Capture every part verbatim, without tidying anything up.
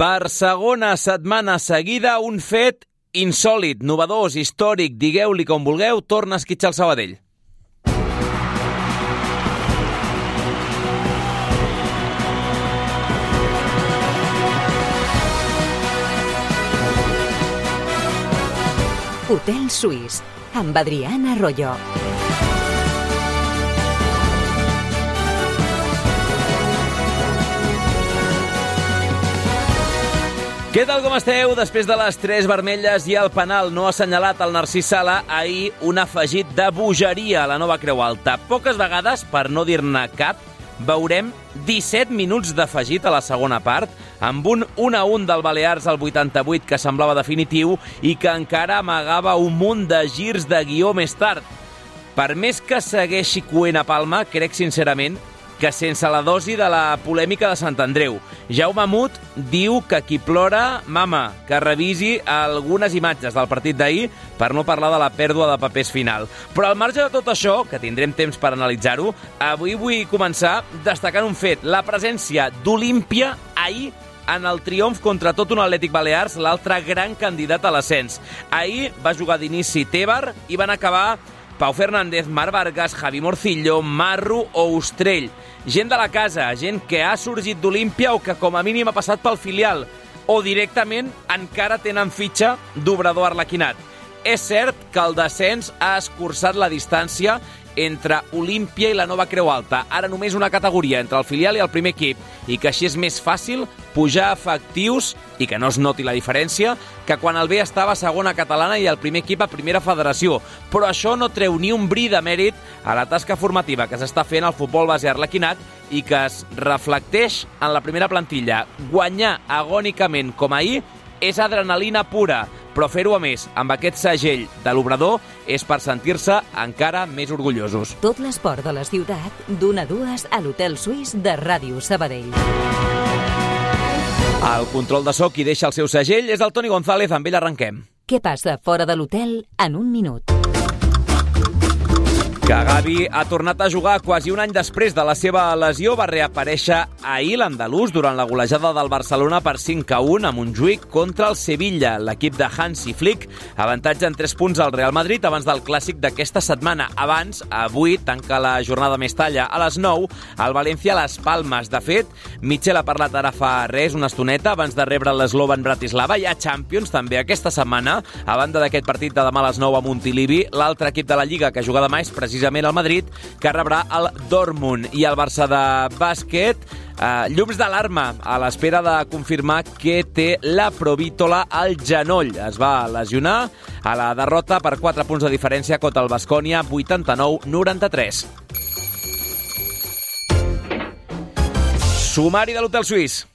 Per segona setmana seguida, un fet insòlit, novedós, històric, digueu-li com vulgueu, torna a esquitxar el Sabadell. Hotel Suís, amb Adriana Arroyo. Què tal, com esteu? Després de les tres vermelles i el penal no assenyalat al Narcís Sala, ahir un afegit de bogeria a la nova Creu Alta. Poques vegades, per no dir-ne cap, veurem disset minuts d'afegit a la segona part, amb un un a un del Balears al vuitanta-vuit que semblava definitiu i que encara amagava un munt de girs de guió més tard. Per més que segueixi coent a Palma, crec sincerament que sense la dosi de la polèmica de Sant Andreu. Jaume Mut diu que qui plora, mama, que revisi algunes imatges del partit d'ahir per no parlar de la pèrdua de papers final. Però al marge de tot això, que tindrem temps per analitzar-ho, avui vull començar destacant un fet, la presència d'Olímpia ahir en el triomf contra tot un Atlètic Balears, l'altre gran candidat a l'ascens. Ahir va jugar d'inici Tébar i van acabar Pau Fernández, Marc Vargas, Javi Morcillo, Marro o Ostrell. Gent de la casa, gent que ha sorgit d'Olímpia o que com a mínim ha passat pel filial o directament encara tenen fitxa d'obrador arlequinat. És cert que el descens ha escurçat la distància entre Olímpia i la nova Creu Alta. Ara només una categoria entre el filial i el primer equip i que així és més fàcil pujar efectius i que no es noti la diferència que quan el B estava a segona catalana i el primer equip a primera federació. Però això no treu ni un bri de mèrit a la tasca formativa que s'està fent al futbol base arlequinat i que es reflecteix en la primera plantilla. Guanyar agònicament com ahir és adrenalina pura, però fer-ho a més amb aquest segell de l'obrador és per sentir-se encara més orgullosos. Tot l'esport de la ciutat, d'una a dues a l'Hotel Suís de Ràdio Sabadell. El control de so qui deixa el seu segell és el Toni González, amb ell arrenquem. Què passa fora de l'hotel en un minut? Que Gavi ha tornat a jugar quasi un any després de la seva lesió. Va reaparèixer ahir l'andalús durant la golejada del Barcelona per cinc a un a Montjuïc contra el Sevilla. L'equip de Hansi Flick avantatge en tres punts al Real Madrid abans del clàssic d'aquesta setmana. Abans, avui, tanca la jornada més talla a les nou, el València a les Palmes. De fet, Michel ha parlat ara fa res, una estoneta, abans de rebre l'Slovan Bratislava. Hi ha Champions també aquesta setmana. A banda d'aquest partit de demà a les nou a Montilivi, l'altre equip de la Lliga que juga demà és precisament el Madrid, que rebrà el Dortmund. I el Barça de bàsquet, eh, llums d'alarma a l'espera de confirmar que té la provítola al genoll. Es va lesionar a la derrota per quatre punts de diferència contra el Baskonia, vuitanta-nou noranta-tres. Sumari de l'Hotel Suís.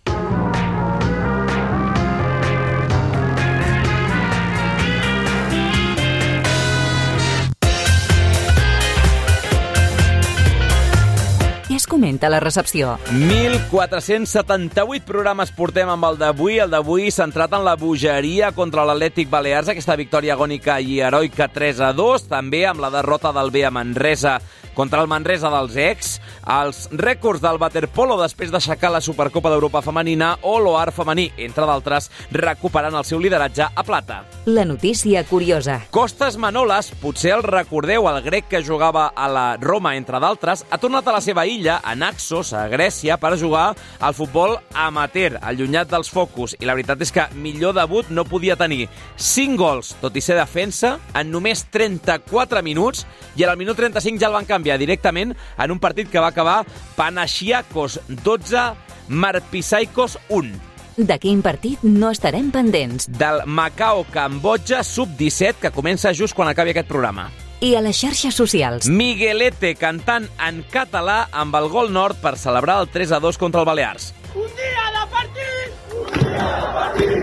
Què es comenta a la recepció? mil quatre-cents setanta-vuit programes portem amb el d'avui, el d'avui centrat en la bogeria contra l'Atlètic Balears, aquesta victòria agònica i heroica tres a dos, també amb la derrota del B a Manresa contra el Manresa dels ex, els rècords del waterpolo després d'aixecar la Supercopa d'Europa femenina o l'O A R femení, entre d'altres, recuperant el seu lideratge a plata. La notícia curiosa. Costas Manolas, potser el recordeu, el grec que jugava a la Roma, entre d'altres, ha tornat a la seva illa, a Naxos, a Grècia, per jugar al futbol amateur, allunyat dels focus. I la veritat és que millor debut no podia tenir. cinc gols, tot i ser defensa, en només trenta-quatre minuts, i al minut trenta-cinc ja el van canviar directament en un partit que va acabar Panathinaikos dotze, Marpisaikos un. De quin partit no estarem pendents? Del Macao Cambodja sub disset, que comença just quan acabi aquest programa. I a les xarxes socials? Miguelete cantant en català amb el gol nord per celebrar el tres a dos contra el Balears. Un dia de partit! Un dia de partit!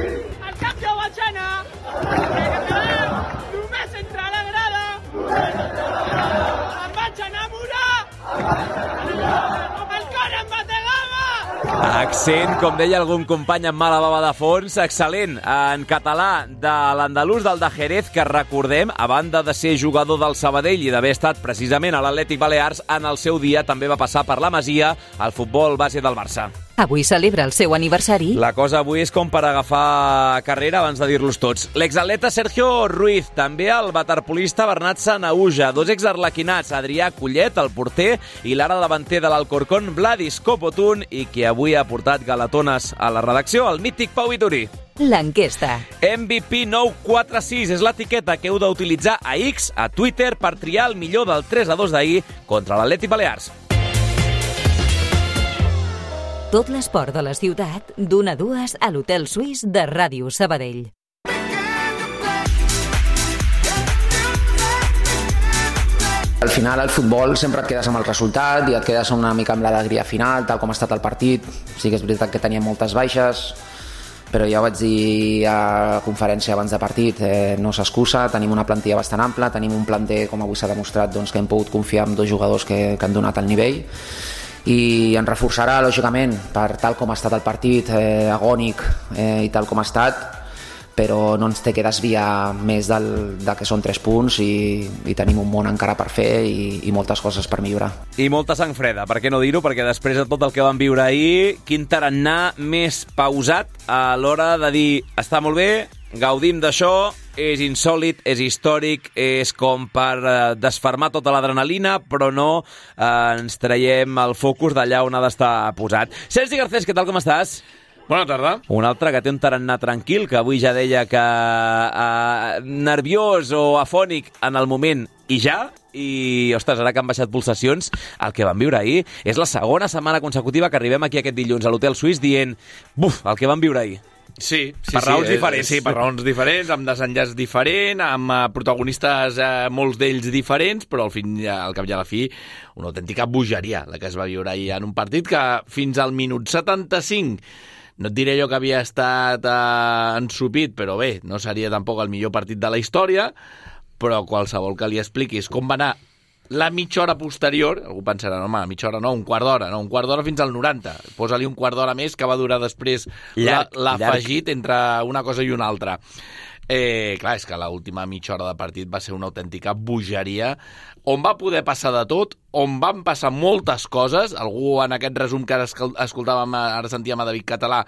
El cap ja vaig anar! Només entre la grada! Només entre la grada! Em vaig enamorar! Amb el cor em bategava! Accent, com deia algun company amb mala bava de fons, excel·lent en català de l'andalús del de Jerez, que recordem, a banda de ser jugador del Sabadell i d'haver estat precisament a l'Atlètic Balears, en el seu dia també va passar per la Masia al futbol base del Barça. Avui celebra el seu aniversari. La cosa avui és com per agafar carrera abans de dir-los tots. L'exatleta Sergio Ruiz, també el waterpolista Bernat Sanahuja, dos exarlequinats, Adrià Collet, el porter, i l'ara davanter de l'Alcorcón, Vladis Copotún, i qui avui ha portat galatones a la redacció, el mític Pau Vitorí. L'enquesta. M V P nou quatre sis és l'etiqueta que heu d'utilitzar a X, a Twitter, per triar el millor del tres a dos d'ahir contra l'Atlètic Balears. Tot l'esport de la ciutat, d'una a dues a l'Hotel Suís de Ràdio Sabadell. Al final, al futbol, sempre et quedes amb el resultat i et quedes una mica amb l'alegria final, tal com ha estat el partit. Sí que és veritat que teníem moltes baixes, però ja ho vaig dir a conferència abans de partit, eh, no s'excusa, tenim una plantilla bastant ampla, tenim un planter, com avui s'ha demostrat, doncs, que hem pogut confiar en dos jugadors que, que han donat el nivell, i ens reforçarà, lògicament, per tal com ha estat el partit, eh, agònic eh, i tal com ha estat, però no ens té que desviar més del, de que són tres punts i, i tenim un món encara per fer i, i moltes coses per millorar. I molta sang freda, per què no dir-ho? Perquè després de tot el que vam viure ahir, quin tarannà més pausat a l'hora de dir està molt bé, gaudim d'això, és insòlit, és històric, és com per eh, desfermar tota l'adrenalina, però no eh, ens traiem el focus d'allà on ha d'estar posat. Sergi Garcés, què tal, com estàs? Bona tarda. Un altre que té un tarannà tranquil, que avui ja deia que eh, nerviós o afònic en el moment i ja, i, ostres, ara que han baixat pulsacions, el que vam viure ahir és la segona setmana consecutiva que arribem aquí aquest dilluns a l'Hotel Suís dient, buf, el que vam viure ahir. Sí, sí, per raons sí, diferents. Sí, per raons diferents, amb desenllaç diferent, amb uh, protagonistes, uh, molts d'ells diferents, però al, fin, al cap i a la fi, una autèntica bogeria la que es va viure ahir en un partit que fins al minut setanta-cinc, no et diré jo que havia estat uh, ensupit, però bé, no seria tampoc el millor partit de la història, però qualsevol que li expliquis com va anar la mitja hora posterior, algú pensarà, no, home, mitja hora no, un quart d'hora, no, un quart d'hora fins al noranta. Posa-li un quart d'hora més que va durar després l'afegit entre una cosa i una altra. Eh, clar, és que l'última mitja hora de partit va ser una autèntica bogeria, on va poder passar de tot, on van passar moltes coses. Algú en aquest resum que ara escoltàvem, ara sentíem a David Català,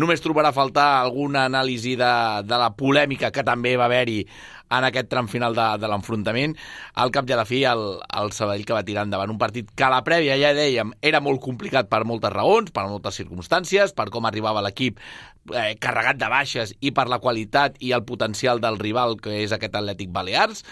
només trobarà a faltar alguna anàlisi de, de la polèmica que també va haver-hi en aquest tram final de, de l'enfrontament. Al cap i a la fi, el, el Sabadell que va tirar endavant un partit que a la prèvia, ja dèiem, era molt complicat per moltes raons, per moltes circumstàncies, per com arribava l'equip eh, carregat de baixes i per la qualitat i el potencial del rival, que és aquest Atlètic Balears,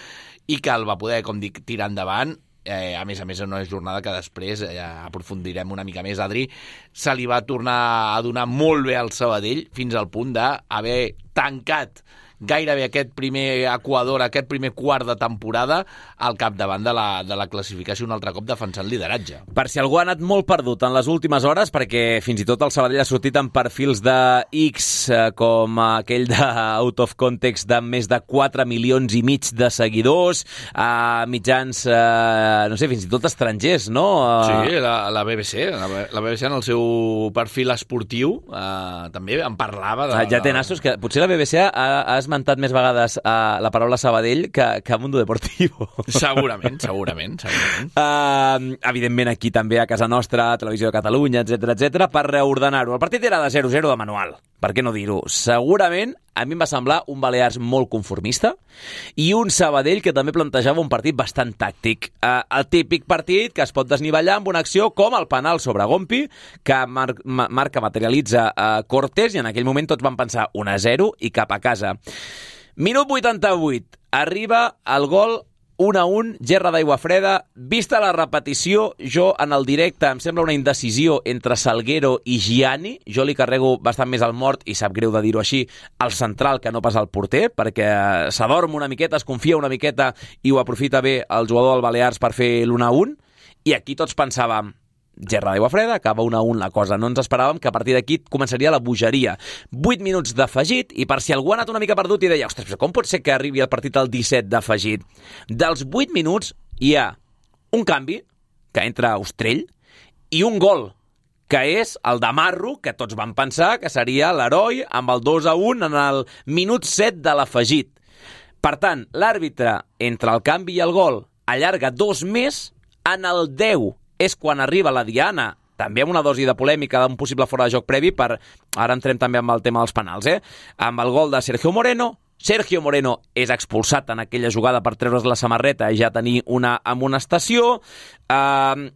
i que el va poder, com dic, tirar endavant. Eh, a més a més, en una jornada que després eh, aprofundirem una mica més, Adri, se li va tornar a donar molt bé al Sabadell fins al punt d'haver tancat gairebé aquest primer Equador, aquest primer quart de temporada al capdavant de la, de la classificació, un altre cop defensant lideratge. Per si algú ha anat molt perdut en les últimes hores, perquè fins i tot el Sabadell ha sortit en perfils de X, eh, com aquell de Out of Context de més de quatre milions i mig de seguidors, a mitjans, eh, no sé, fins i tot estrangers, no? Sí, la, la B B C, la, la B B C en el seu perfil esportiu eh, també en parlava. De, ah, ja té nassos, que potser la B B C ha, ha esmentat més vegades uh, la paraula Sabadell que, que Mundo Deportivo. Segurament, segurament. segurament. Uh, evidentment aquí també a casa nostra, Televisió de Catalunya, etcètera, etcètera, per reordenar-ho. El partit era de zero zero de manual, per què no dir-ho? Segurament a mi em va semblar un Balears molt conformista i un Sabadell que també plantejava un partit bastant tàctic. Uh, el típic partit que es pot desnivellar amb una acció com el penal sobre Gompi, que mar marca materialitza uh, Cortés, i en aquell moment tots van pensar un a zero i cap a casa. Minut vuitanta-vuit, arriba el gol un a un, gerra d'aigua freda. Vista la repetició, jo en el directe em sembla una indecisió entre Salguero i Gianni. Jo li carrego bastant més al mort, i sap greu de dir-ho així, al central que no pas al porter, perquè s'adorm una miqueta, es confia una miqueta i ho aprofita bé el jugador del Balears per fer l'un a un. I aquí tots pensàvem, gerra d'aigua freda, acaba un a un la cosa. No ens esperàvem que a partir d'aquí començaria la bogeria. vuit minuts d'afegit, i per si algú ha anat una mica perdut i deia, ostres, però com pot ser que arribi el partit al disset d'afegit? Dels vuit minuts hi ha un canvi, que entra Ostrell, i un gol, que és el de Marro, que tots van pensar que seria l'heroi amb el dos a un en el minut set de l'afegit. Per tant, l'àrbitre, entre el canvi i el gol, allarga dos més, en el deu és quan arriba la diana també amb una dosi de polèmica d'un possible fora de joc previ, per ara entrem també amb el tema dels penals, eh? Amb el gol de Sergio Moreno, Sergio Moreno és expulsat en aquella jugada per treure's la samarreta i ja tenir una amonestació. Uh,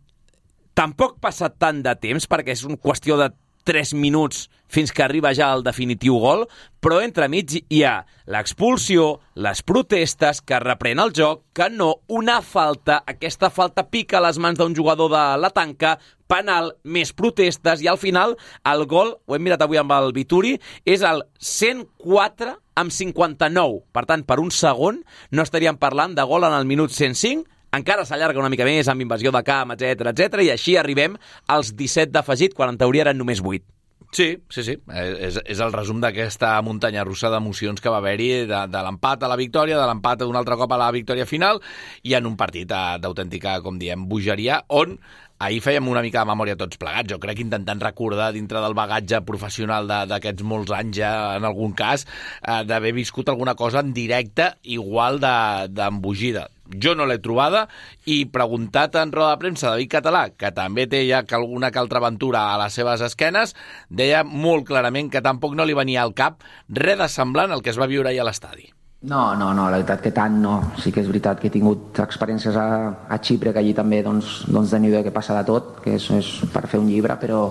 tampoc passa tant de temps, perquè és una qüestió de tres minuts fins que arriba ja el definitiu gol, però entremig hi ha l'expulsió, les protestes, que reprèn el joc, que no, una falta, aquesta falta pica a les mans d'un jugador de la tanca, penal, més protestes, i al final el gol, ho hem mirat avui amb el Vituri, és el cent quatre amb cinquanta-nou. Per tant, per un segon no estaríem parlant de gol en el minut cent cinc, encara s'allarga una mica més amb invasió de camp, etcètera, etcètera, i així arribem als disset d'afegit, quan en teoria eren només vuit. Sí, sí, sí. És, és el resum d'aquesta muntanya russa d'emocions que va haver-hi, de, de l'empat a la victòria, de l'empat un altre cop a la victòria final, i en un partit d'autèntica, com diem, bogeria, on ahir fèiem una mica de memòria tots plegats. Jo crec que intentant recordar dintre del bagatge professional d'aquests molts anys ja, en algun cas, eh, d'haver viscut alguna cosa en directe igual d'embogida. Jo no l'he trobada, i preguntat en roda de premsa David Català, que també té ja alguna que altra aventura a les seves esquenes, deia molt clarament que tampoc no li venia al cap res de semblant al que es va viure ahir a l'estadi. No, no, no, la veritat que tant no. Sí que és veritat que he tingut experiències a, a Xipre, que allí també doncs, doncs de nivell que passa de tot, que és, és per fer un llibre, però,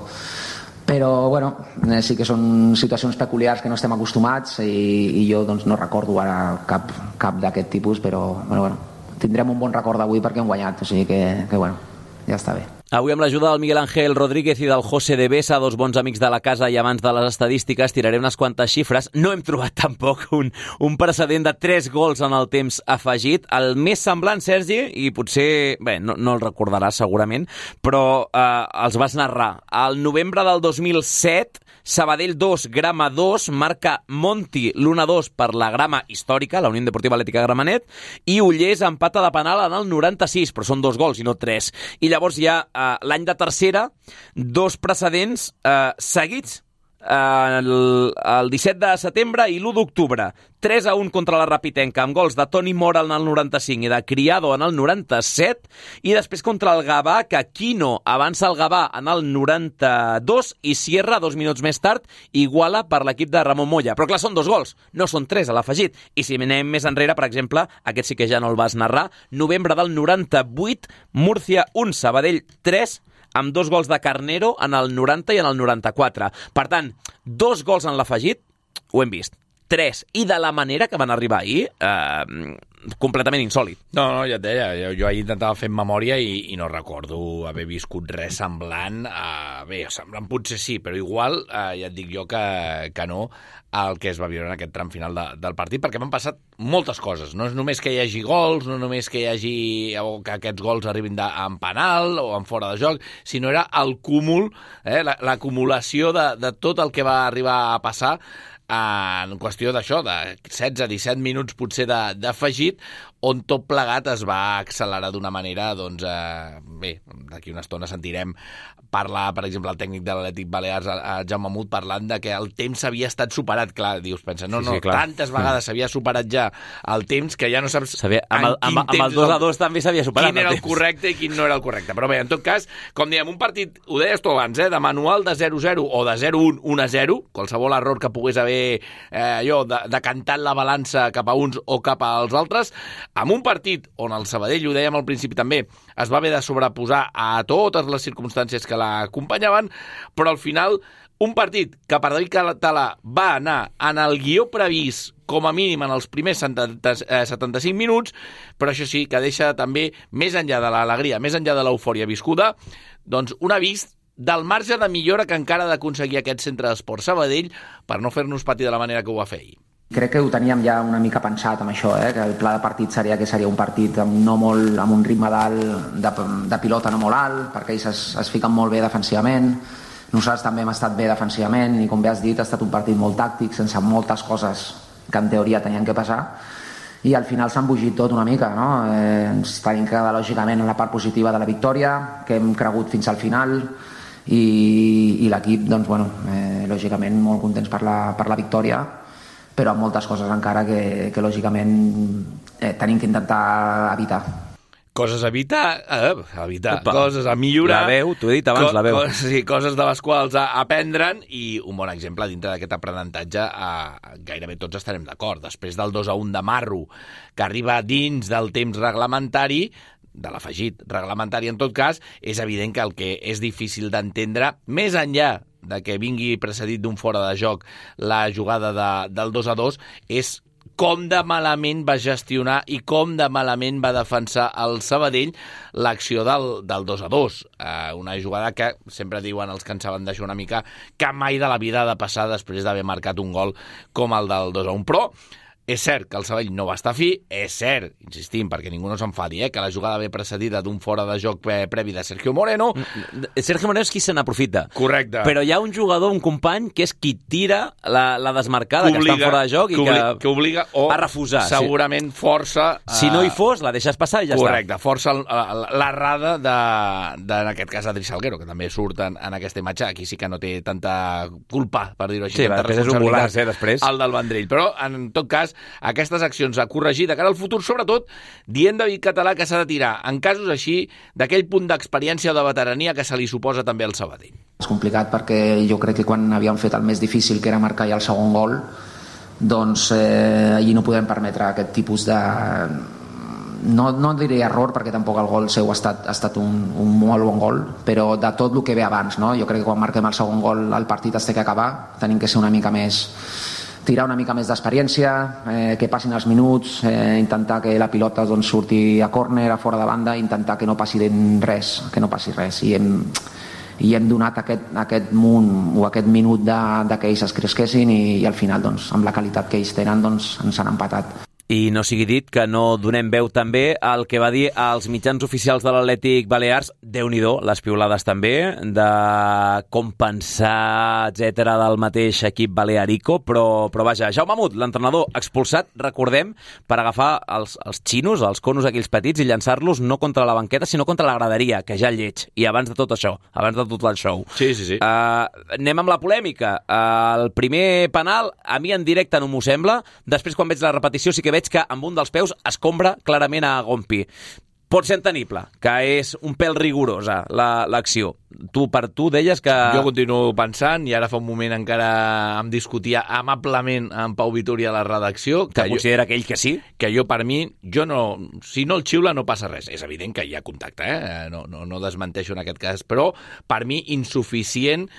però bueno, sí que són situacions peculiars que no estem acostumats, i, i jo doncs, no recordo ara cap, cap d'aquest tipus, però bueno, bueno, tindrem un bon record d'avui perquè hem guanyat, o sigui que, que bueno, ja està bé. Avui amb l'ajuda del Miguel Ángel Rodríguez i del José de Besa, dos bons amics de la casa i amants de les estadístiques, tiraré unes quantes xifres. No hem trobat tampoc un, un precedent de tres gols en el temps afegit. El més semblant, Sergi, i potser, bé, no, no el recordaràs segurament, però eh, els vas narrar. Al novembre del dos mil set, Sabadell dos, Grama dos, marca Monti l'u a dos per la Grama històrica, la Unió Deportiva Atlètica Gramenet, i Ullers empata de penal en el noranta-sis, però són dos gols i no tres. I llavors hi ha eh, l'any de tercera, dos precedents eh, seguits, eh, el, el disset de setembre i l'u d'octubre. tres a un contra la Rapitenca, amb gols de Toni Mora en el noranta-cinc i de Criado en el noranta-set, i després contra el Gavà, que Quino avança el Gavà en el noranta-dos i Sierra, dos minuts més tard, iguala per l'equip de Ramon Moya. Però clar, són dos gols, no són tres a l'afegit. I si anem més enrere, per exemple, aquest sí que ja no el vas narrar, novembre del noranta-vuit, Múrcia un, Sabadell tres, amb dos gols de Carnero en el noranta i en el noranta-quatre. Per tant, dos gols en l'afegit, ho hem vist. Tres, i de la manera que van arribar ahir, eh, completament insòlid. No, no, ja et deia, jo, jo ahir intentava fer memòria i, i no recordo haver viscut res semblant, a, bé, semblant potser sí, però igual, eh, ja et dic jo que, que no, el que es va viure en aquest tram final de, del partit, perquè m'han passat moltes coses. No és només que hi hagi gols, no només que hi hagi, o que aquests gols arribin de, en penal o en fora de joc, sinó era el cúmul, eh, l'acumulació de, de tot el que va arribar a passar en qüestió d'això, de setze a disset minuts potser d'afegit, on tot plegat es va accelerar d'una manera, doncs, eh, bé, d'aquí una estona sentirem parlar, per exemple, el tècnic de l'Atlètic Balears, el Jaume Mut, parlant de que el temps havia estat superat. Clar, dius, pensa, no, no, sí, sí, tantes vegades s'havia superat ja el temps que ja no saps sabia, amb, el, amb, amb el dos a dos també s'havia superat quin era el, el correcte i quin no era el correcte. Però bé, en tot cas, com diem, un partit, ho deies tu abans, eh, de manual de zero zero o de zero un, un a zero, qualsevol error que pogués haver eh, allò, de, decantant la balança cap a uns o cap als altres, amb un partit on el Sabadell, ho dèiem al principi també, es va haver de sobreposar a totes les circumstàncies que l'acompanyaven, però al final un partit que per David Català va anar en el guió previst com a mínim en els primers setanta-cinc minuts, però això sí, que deixa també, més enllà de l'alegria, més enllà de l'eufòria viscuda, doncs un avís del marge de millora que encara ha d'aconseguir aquest centre d'esport Sabadell per no fer-nos patir de la manera que ho va fer ahir. Crec que ho teníem ja una mica pensat amb això, eh? Que el pla de partit seria que seria un partit amb, no molt, amb un ritme d'alt, de, de pilota no molt alt, perquè ells es, es fiquen molt bé defensivament. Nosaltres també hem estat bé defensivament i, com bé has dit, ha estat un partit molt tàctic, sense moltes coses que en teoria tenien que passar, i al final s'ha embogit tot una mica, no? Eh, ens tenim que quedar lògicament en la part positiva de la victòria, que hem cregut fins al final, i, i l'equip, doncs, bueno, eh, lògicament molt contents per la, per la victòria, però amb moltes coses encara que, que lògicament, eh, tenim que intentar evitar. Coses a evitar, eh, a evitar, Opa. coses a millorar. La veu, t'ho he dit abans, la veu. Co sí, coses de les quals a aprendre'n, i un bon exemple dintre d'aquest aprenentatge, eh, gairebé tots estarem d'acord. Després del dos a un de Marro, que arriba dins del temps reglamentari, de l'afegit reglamentari en tot cas, és evident que el que és difícil d'entendre, més enllà de que vingui precedit d'un fora de joc la jugada de, del dos a dos, és com de malament va gestionar i com de malament va defensar el Sabadell l'acció del, del dos a dos. Eh, una jugada que sempre diuen els que en saben d'això una mica que mai de la vida ha de passar després d'haver marcat un gol com el del dos a un. Però és cert que el Sabadell no va estar fi, és cert, insistim, perquè ningú no s'enfadi, eh, que la jugada ve precedida d'un fora de joc previ de Sergio Moreno. Sergio Moreno és qui se n'aprofita. Correcte. Però hi ha un jugador, un company, que és qui tira la, la desmarcada, que, que està fora de joc i que, que, que obliga o a refusar. Segurament sí. Força... A... Si no hi fos, la deixes passar i ja Correcte, està. Correcte, força l'errada de, de, en aquest cas, Adri Salguero, que també surt en, en aquesta imatge. Aquí sí que no té tanta culpa, per dir-ho així. Sí, després és un golaç, eh, després. El del Vendrell. Però, en tot cas, aquestes accions a corregir de cara al futur, sobretot dient David Català que s'ha de tirar, en casos així, d'aquell punt d'experiència o de veterania que se li suposa també al Sabadell. És complicat perquè jo crec que quan havíem fet el més difícil, que era marcar ja el segon gol, doncs eh, allí no podem permetre aquest tipus de... No, no diré error, perquè tampoc el gol seu ha estat, ha estat un, un molt bon gol, però de tot el que ve abans, no? Jo crec que quan marquem el segon gol el partit es té que acabar, tenim que ser una mica més... tirar una mica més d'experiència, eh, que passin els minuts, eh, intentar que la pilota doncs, surti a córner, a fora de banda, intentar que no passi res, que no passi res. I hem, i hem donat aquest, aquest munt o aquest minut de, de que ells es cresquessin i, i al final, doncs, amb la qualitat que ells tenen, doncs, ens han empatat. I no sigui dit que no donem veu també al que va dir als mitjans oficials de l'Atlètic Balears, Déu-n'hi-do, les piulades també, de compensar, etcètera, del mateix equip balearico, però, però vaja, Jaume Mut, l'entrenador expulsat, recordem, per agafar els, els xinos, els conos aquells petits, i llançar-los no contra la banqueta, sinó contra la graderia, que ja lleig, i abans de tot això, abans de tot el show. Sí, sí, sí. Uh, anem amb la polèmica. Uh, el primer penal, a mi en directe no m'ho sembla, després quan veig la repetició sí que veig que amb un dels peus escombra clarament a Gompi. Pot ser entenible, que és un pèl rigorosa l'acció. Tu per tu deies que... Jo continuo pensant, i ara fa un moment encara em discutia amablement amb Pau Vitoria a la redacció... Que, que jo, considera aquell que sí? Que jo, per mi, jo no... Si no el xiula no passa res. És evident que hi ha contacte, eh? No, no, no desmenteixo en aquest cas, però per mi insuficient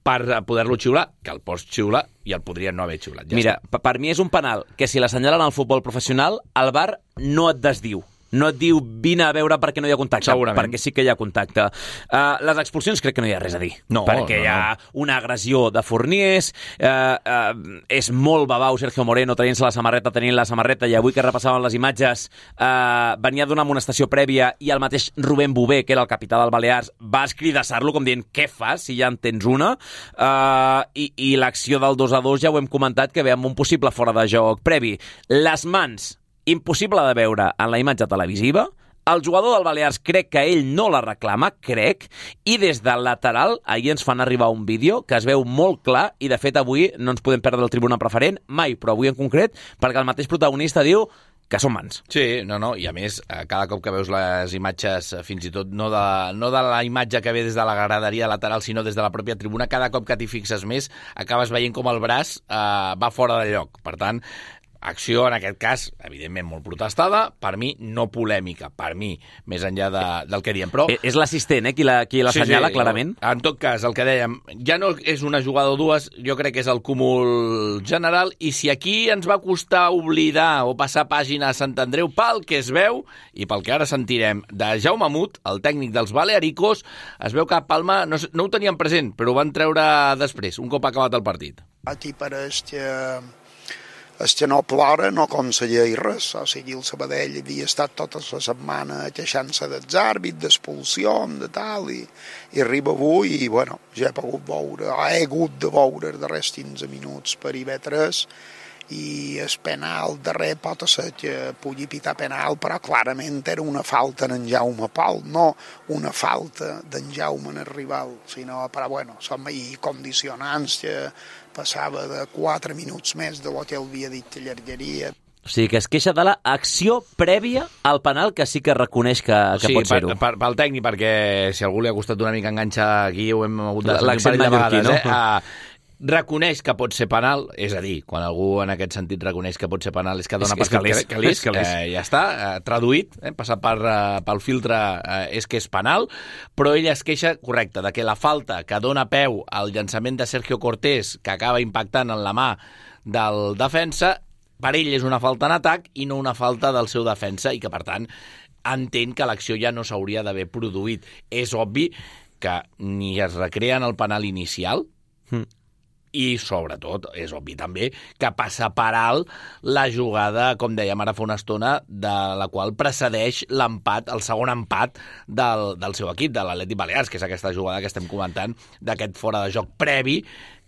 per poder-lo xiular, que el pots xiular i el podrien no haver xiulat. Ja Mira, està. Per mi és un penal que si l'assenyalen al futbol professional, el V A R no et desdiu. No et diu, vine a veure perquè no hi ha contacte. Segurament. Perquè sí que hi ha contacte. Uh, les expulsions crec que no hi ha res a dir. No, perquè no, hi ha no. una agressió de Forniers, uh, uh, és molt babau Sergio Moreno traient-se la samarreta, tenint la samarreta, i avui que repassaven les imatges uh, venia d'una amonestació prèvia i el mateix Rubén Bové, que era el capità del Balears, va escridassar-lo com dient, què fas si ja en tens una? Uh, i, I l'acció del dos a dos ja ho hem comentat, que ve amb un possible fora de joc previ. Les mans, impossible de veure en la imatge televisiva. El jugador del Balears crec que ell no la reclama, crec, i des del lateral ahir ens fan arribar un vídeo que es veu molt clar, i de fet avui no ens podem perdre el tribuna preferent, mai, però avui en concret, perquè el mateix protagonista diu que són mans. Sí, no, no, i a més, cada cop que veus les imatges, fins i tot no de, no de la imatge que ve des de la graderia lateral, sinó des de la pròpia tribuna, cada cop que t'hi fixes més, acabes veient com el braç eh, va fora de lloc. Per tant, acció, en aquest cas, evidentment molt protestada, per mi no polèmica, per mi, més enllà de, del que diem. Però... És l'assistent, eh, qui la, qui la sí, senyala sí, clarament. En tot cas, el que dèiem, ja no és una jugada o dues, jo crec que és el cúmul general, i si aquí ens va costar oblidar o passar pàgina a Sant Andreu pel que es veu, i pel que ara sentirem de Jaume Mut, el tècnic dels Balearicos, es veu que a Palma no, no ho tenien present, però ho van treure després, un cop acabat el partit. Aquí pareix que el que no plora no aconsegueix res, o sigui, el Sabadell havia estat tota la setmana queixant-se dels àrbits, d'expulsions, de tal, i, i arriba avui i, bueno, ja he pogut veure, he hagut de veure els darrers quinze minuts per I V tres, i el penal darrer pot ser que pugui pitar penal, però clarament era una falta en Jaume Pol, no una falta d'en Jaume en el rival, sinó, però bueno, som ahir condicionants que passava de quatre minuts més de lo que havia dit que allargaria. O sigui, que es queixa de l'acció prèvia al penal, que sí que reconeix que, que sí, pot ser-ho. Sí, per, pel tècnic, perquè si algú li ha costat una mica enganxar aquí, ho hem hagut de l'accent mallorquí, no? Eh? Uh, reconeix que pot ser penal, és a dir, quan algú en aquest sentit reconeix que pot ser penal és que dona és, per és fet que l'és, eh, ja està, eh, traduït, eh, passat per, eh, pel filtre eh, és que és penal, però ell es queixa, correcte, de que la falta que dona peu al llançament de Sergio Cortés, que acaba impactant en la mà del defensa, per ell és una falta en atac i no una falta del seu defensa i que, per tant, entén que l'acció ja no s'hauria d'haver produït. És obvi que ni es recrea en el penal inicial mm. i, sobretot, és obvi també que passa per alt la jugada, com dèiem ara fa una estona, de la qual precedeix l'empat, el segon empat del, del seu equip, de l'Atlètic Balears, que és aquesta jugada que estem comentant, d'aquest fora de joc previ,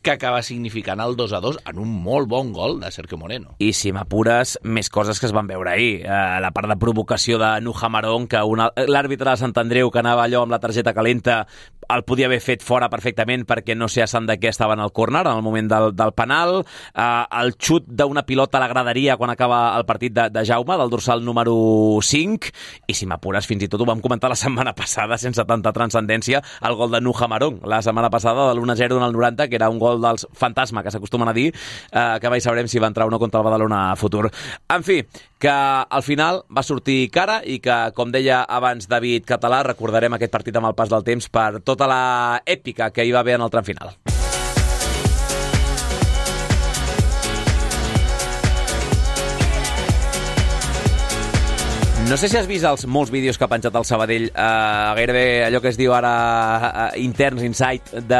que acaba significant el dos a dos en un molt bon gol de Sergio Moreno. I si m'apures, més coses que es van veure ahir. Eh, la part de provocació de Nuja Marón, que una, l'àrbitre de Sant Andreu, que anava allò amb la targeta calenta, el podia haver fet fora perfectament perquè no sé a sant de què estava en el córner en el moment del, del penal. Eh, el xut d'una pilota a la graderia quan acaba el partit de, de Jaume, del dorsal número cinc, i si m'apures, fins i tot ho vam comentar la setmana passada, sense tanta transcendència, el gol de Nuja Marón, la setmana passada, de l'u a zero en el noranta, que era un gol dels fantasma, que s'acostumen a dir, eh, que mai sabrem si va entrar o no contra el Badalona a futur. En fi, que al final va sortir cara i que, com deia abans David Català, recordarem aquest partit amb el pas del temps per tota la èpica que hi va haver en el tram final. No sé si has vist els molts vídeos que ha penjat el Sabadell, eh, gairebé allò que es diu ara eh, interns, insight, de,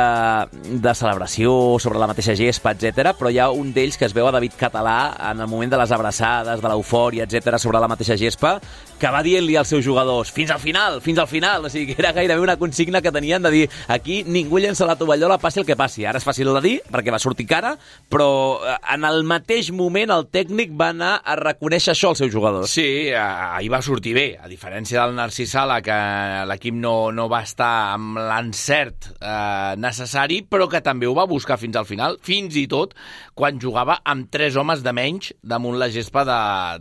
de celebració sobre la mateixa gespa, etcètera, però hi ha un d'ells que es veu a David Català en el moment de les abraçades, de l'eufòria, etcètera, sobre la mateixa gespa, que va dient-li als seus jugadors fins al final, fins al final, o sigui que era gairebé una consigna que tenien de dir aquí ningú llença la tovallola, passi el que passi. Ara és fàcil de dir, perquè va sortir cara, però en el mateix moment el tècnic va anar a reconèixer això als seus jugadors. Sí, ahir va sortir bé, a diferència del Narcís Sala, que l'equip no, no va estar amb l'encert eh, necessari, però que també ho va buscar fins al final, fins i tot quan jugava amb tres homes de menys damunt la gespa de,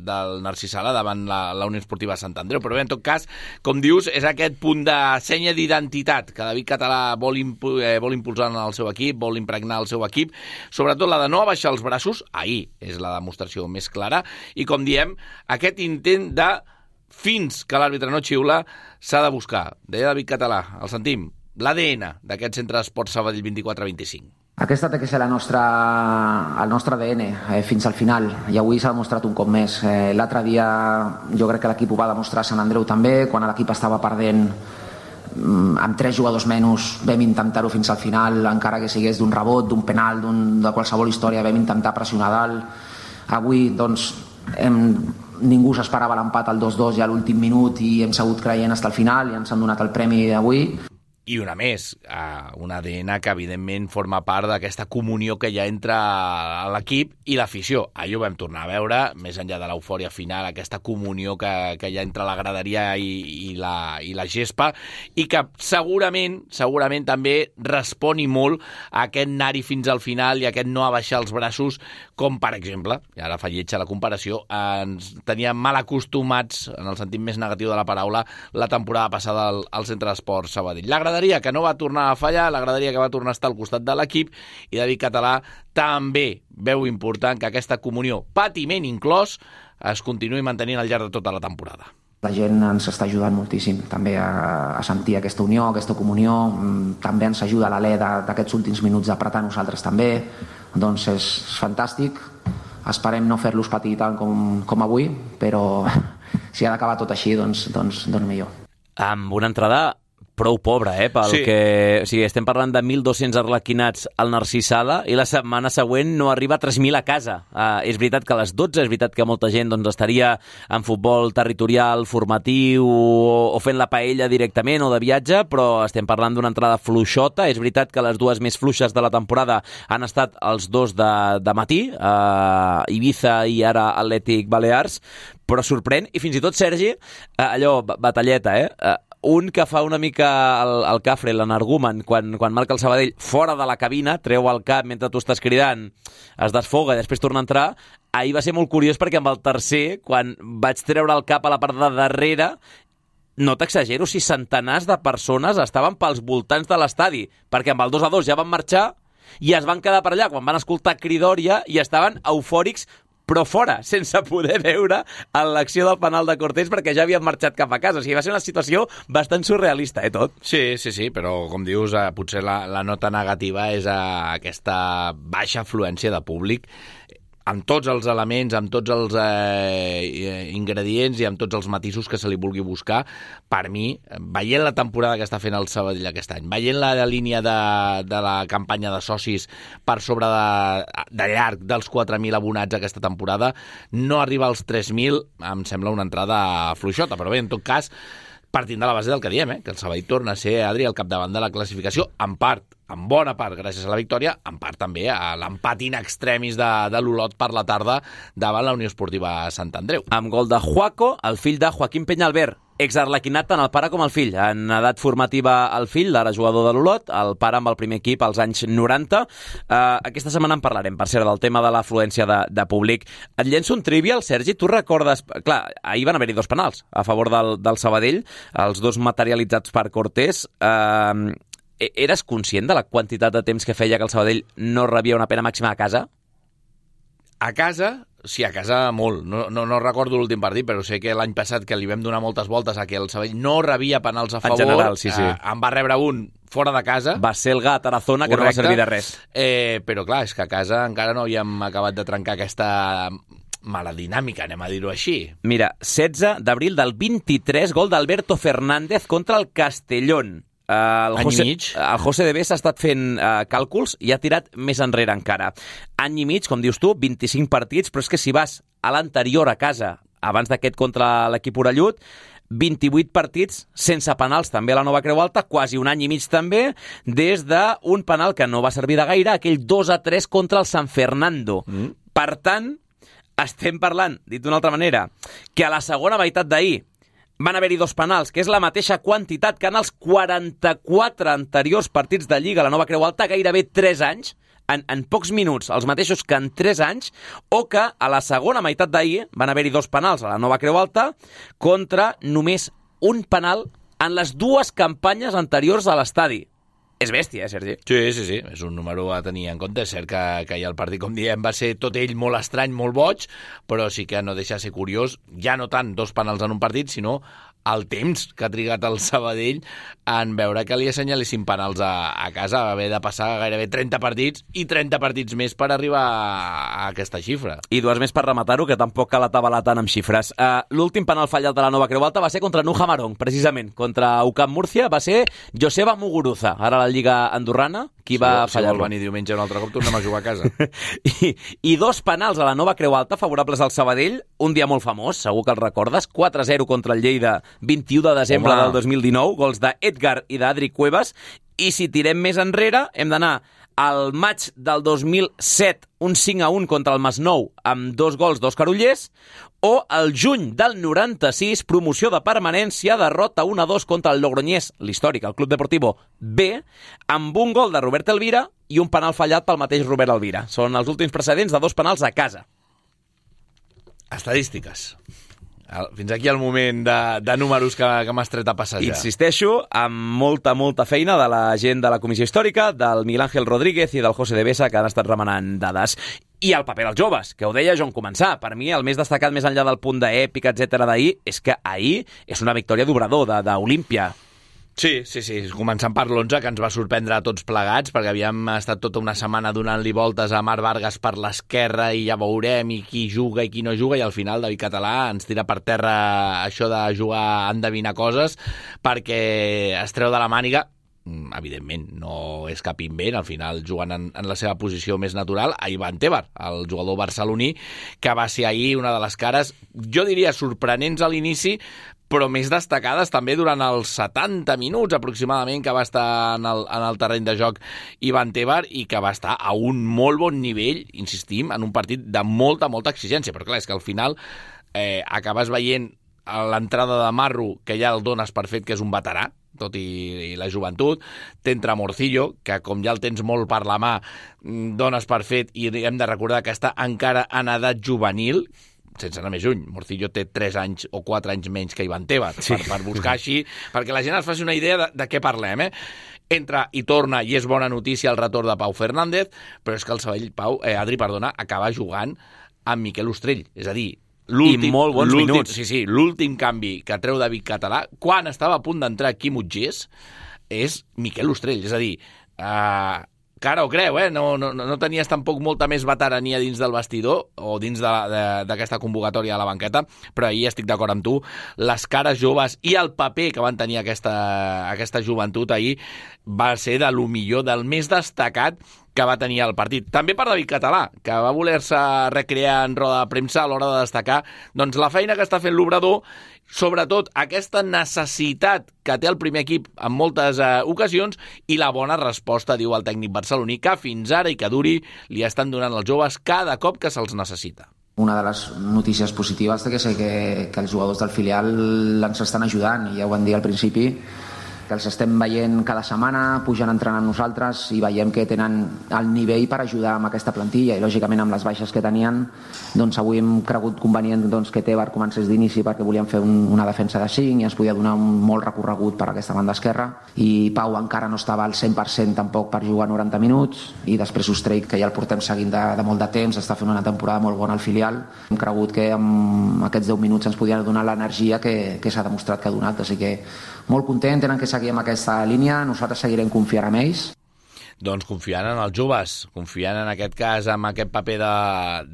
del Narcís Sala davant la, la Unió Esportiva Sant Andreu. Però bé, en tot cas, com dius, és aquest punt de senya d'identitat que David Català vol, impu eh, vol impulsar en el seu equip, vol impregnar el seu equip, sobretot la de no abaixar els braços, ahir és la demostració més clara, i com diem, aquest intent de fins que l'àrbitre no xiula, s'ha de buscar. Deia David Català, el sentim, l'A D N d'aquest centre d'esport Sabadell vint-i-quatre vint-i-cinc. Aquesta té que ser la nostra, el nostre A D N eh, fins al final, i avui s'ha demostrat un cop més. Eh, L'altre dia jo crec que l'equip ho va demostrar a Sant Andreu també, quan l'equip estava perdent amb tres jugadors menys, vam intentar-ho fins al final, encara que sigués d'un rebot, d'un penal, de qualsevol història, vam intentar pressionar dalt. Avui, doncs, hem, ningú s'esperava l'empat al dos dos ja a l'últim minut i hem segut creient fins al final i ens han donat el premi d'avui. I una més, un A D N que evidentment forma part d'aquesta comunió que hi ha entre l'equip i l'afició. Ahir ho vam tornar a veure, més enllà de l'eufòria final, aquesta comunió que, que hi ha entre la graderia i, i, la, i la gespa, i que segurament, segurament també responi molt a aquest anar-hi fins al final i aquest no abaixar els braços, com per exemple, i ara fa lletja la comparació, ens teníem mal acostumats, en el sentit més negatiu de la paraula, la temporada passada al, al Centre d'Esports Sabadell. La graderia que no va tornar a fallar, la graderia que va tornar a estar al costat de l'equip, i David Català també veu important que aquesta comunió, patiment inclòs, es continuï mantenint al llarg de tota la temporada. La gent ens està ajudant moltíssim també a, a sentir aquesta unió, aquesta comunió. També ens ajuda l'alè d'aquests últims minuts d'apretar nosaltres també. Doncs és fantàstic. Esperem no fer-los patir tant com, com avui, però si ha d'acabar tot així, doncs, doncs, doncs millor. Amb una entrada prou pobra, eh? Pel sí. que... O sigui, estem parlant de mil dos-cents arlequinats al Narcís Sala i la setmana següent no arriba a tres mil a casa. Uh, és veritat que a les dotze, és veritat que molta gent doncs, estaria en futbol territorial, formatiu o, o fent la paella directament o de viatge, però estem parlant d'una entrada fluixota. És veritat que les dues més fluixes de la temporada han estat els dos de, de matí, uh, Ibiza i ara Atlètic Balears, però sorprèn, i fins i tot, Sergi, uh, allò, batalleta, eh? Uh, un que fa una mica el, el cafre, l'energumen, quan, quan marca el Sabadell fora de la cabina, treu el cap mentre tu estàs cridant, es desfoga i després torna a entrar. Ahir va ser molt curiós perquè amb el tercer, quan vaig treure el cap a la part de darrere, no t'exagero si centenars de persones estaven pels voltants de l'estadi, perquè amb el dos a dos ja van marxar i es van quedar per allà quan van escoltar cridòria i estaven eufòrics però fora, sense poder veure l'acció del penal de Cortés perquè ja havien marxat cap a casa. O sigui, va ser una situació bastant surrealista, eh, tot? Sí, sí, sí, però com dius, eh, potser la, la nota negativa és eh, aquesta baixa afluència de públic amb tots els elements, amb tots els eh, ingredients i amb tots els matisos que se li vulgui buscar. Per mi, veient la temporada que està fent el Sabadell aquest any, veient la, la línia de, de la campanya de socis per sobre de, de llarg dels quatre mil abonats aquesta temporada, no arriba als tres mil, em sembla una entrada fluixota, però bé, en tot cas, partint de la base del que diem, eh? Que el Sabadell torna a ser, Adri, al capdavant de la classificació, en part, en bona part gràcies a la victòria, en part també a l'empat in extremis de, de l'Olot per la tarda davant la Unió Esportiva Sant Andreu. Amb gol de Juaco, el fill de Joaquim Peñalver, exarlequinat tant el pare com el fill. En edat formativa el fill, ara jugador de l'Olot, el pare amb el primer equip als anys noranta. Uh, aquesta setmana en parlarem, per cert, del tema de l'afluència de, de públic. Et llenço un trivial, Sergi, tu recordes... Clar, ahir van haver-hi dos penals a favor del, del Sabadell, els dos materialitzats per Cortés. Uh, eres conscient de la quantitat de temps que feia que el Sabadell no rebia una pena màxima a casa? A casa... Sí, a casa molt. No, no, no recordo l'últim partit, però sé que l'any passat que li vam donar moltes voltes a que el Sabadell no rebia penals a favor. En general, sí, sí. Eh, en va rebre un fora de casa. Va ser el gat a Tarazona, que correcte, no va servir de res. Eh, però clar, és que a casa encara no havíem acabat de trencar aquesta mala dinàmica, anem a dir-ho així. Mira, setze d'abril del vint-i-tres, gol d'Alberto Fernández contra el Castellón. Uh, el, José, el José de Bes ha estat fent uh, càlculs i ha tirat més enrere encara. Any i mig, com dius tu, vint-i-cinc partits, però és que si vas a l'anterior a casa, abans d'aquest contra l'equip orellut, vint-i-vuit partits sense penals també a la Nova Creu Alta, quasi un any i mig també, des d'un penal que no va servir de gaire, aquell dos a tres contra el San Fernando. Mm. Per tant, estem parlant, dit d'una altra manera, que a la segona meitat d'ahir van haver-hi dos penals, que és la mateixa quantitat que en els quaranta-quatre anteriors partits de Lliga a la Nova Creu Alta, gairebé tres anys, en, en pocs minuts, els mateixos que en tres anys, o que a la segona meitat d'ahir van haver-hi dos penals a la Nova Creu Alta contra només un penal en les dues campanyes anteriors a l'estadi. És bèstia, eh, Sergi? Sí, sí, sí, és un número a tenir en compte. És cert que, que ja el partit, com diem, va ser tot ell molt estrany, molt boig, però sí que no deixa de ser curiós, ja no tant dos penals en un partit, sinó el temps que ha trigat el Sabadell en veure que li assenyalessin penals a, a casa. Va haver de passar gairebé trenta partits i trenta partits més per arribar a aquesta xifra. I dues més per rematar-ho, que tampoc cal atabalar tant amb xifres. Uh, L'últim penal fallat de la Nova Creu Alta va ser contra Nuja Marón, precisament. Contra U C A M Múrcia va ser Joseba Muguruza, ara a la Lliga Andorrana, qui va si fallar-lo. Si vol venir diumenge un altre cop, tornem a jugar a casa. I, I dos penals a la Nova Creu Alta favorables al Sabadell, un dia molt famós, segur que el recordes, quatre a zero contra el Lleida, vint-i-u de desembre Home. del dos mil dinou, gols d'Edgar i d'Adri Cuevas, i si tirem més enrere hem d'anar al maig del dos mil set, un cinc a un contra el Masnou amb dos gols d'Òscar Ullés, o el juny del noranta-sis, promoció de permanència, derrota un a dos contra el Logroñés, l'històric, el Club Deportivo B, amb un gol de Robert Elvira i un penal fallat pel mateix Robert Elvira. Són els últims precedents de dos penals a casa. Estadístiques. Fins aquí el moment de, de números que, que m'has tret a passejar. Insisteixo, amb molta, molta feina de la gent de la Comissió Històrica, del Miguel Ángel Rodríguez i del José de Besa, que han estat remenant dades. I el paper dels joves, que ho deia jo en començar. Per mi, el més destacat, més enllà del punt d'èpica, etcètera d'ahir, és que ahir és una victòria d'obrador, d'Olímpia. Sí, sí, sí, començant per l'onze, que ens va sorprendre a tots plegats, perquè havíem estat tota una setmana donant-li voltes a Marc Vargas per l'esquerra i ja veurem i qui juga i qui no juga, i al final David Català ens tira per terra això de jugar a endevinar coses, perquè es treu de la màniga, evidentment no és cap invent, al final jugant en, en la seva posició més natural, a Ivan Tebar, el jugador barceloní, que va ser ahir una de les cares, jo diria sorprenents a l'inici, però més destacades també durant els setanta minuts aproximadament que va estar en el, en el terreny de joc Ivan Tebar, i que va estar a un molt bon nivell, insistim, en un partit de molta, molta exigència. Però clar, és que al final eh, acabes veient a l'entrada de Marru, que ja el dones per fet que és un veterà, tot i, i la joventut. T'entra Morcillo, que com ja el tens molt per la mà, dones per fet, i hem de recordar que està encara en edat juvenil, sense anar més lluny. Morcillo té tres anys o quatre anys menys que Ivan Tebas, sí. per, per buscar així, perquè la gent es faci una idea de, de què parlem, eh? Entra i torna, i és bona notícia el retorn de Pau Fernández, però és que el Sabadell, Pau, eh, Adri, perdona, acaba jugant amb Miquel Ostrell, és a dir, I molt bons minuts. Sí, sí, l'últim canvi que treu David Català, quan estava a punt d'entrar Quim Utgés, és Miquel Ostrell. És a dir, eh, cara o creu, eh? No, no, no tenies tampoc molta més veterania dins del vestidor o dins d'aquesta convocatòria a la banqueta, però ahir estic d'acord amb tu, les cares joves i el paper que van tenir aquesta, aquesta joventut ahir va ser de lo millor, del més destacat que va tenir el partit. També per David Català, que va voler-se recrear en roda de premsa a l'hora de destacar doncs, la feina que està fent l'Obrador, sobretot aquesta necessitat que té el primer equip en moltes eh, ocasions i la bona resposta, diu el tècnic barceloní, que fins ara i que duri li estan donant els joves cada cop que se'ls necessita. Una de les notícies positives que sé que, que els jugadors del filial ens estan ajudant, i ja ho van dir al principi, que els estem veient cada setmana, pujan entrenant amb nosaltres i veiem que tenen el nivell per ajudar amb aquesta plantilla, i lògicament amb les baixes que tenien, doncs avui hem cregut convenient doncs, que Tebar comencés d'inici perquè volíem fer un, una defensa de cinc i ens podia donar un molt recorregut per aquesta banda esquerra, i Pau encara no estava al cent per cent tampoc per jugar noranta minuts, i després Ostrell, que ja el portem seguint de, de molt de temps, està fent una temporada molt bona al filial. Hem cregut que amb aquests deu minuts ens podien donar l'energia que, que s'ha demostrat que ha donat, així que molt content, tenen que seguir amb aquesta línia, nosaltres seguirem confiant en ells. Doncs confiant en els joves, confiant en aquest cas amb aquest paper de,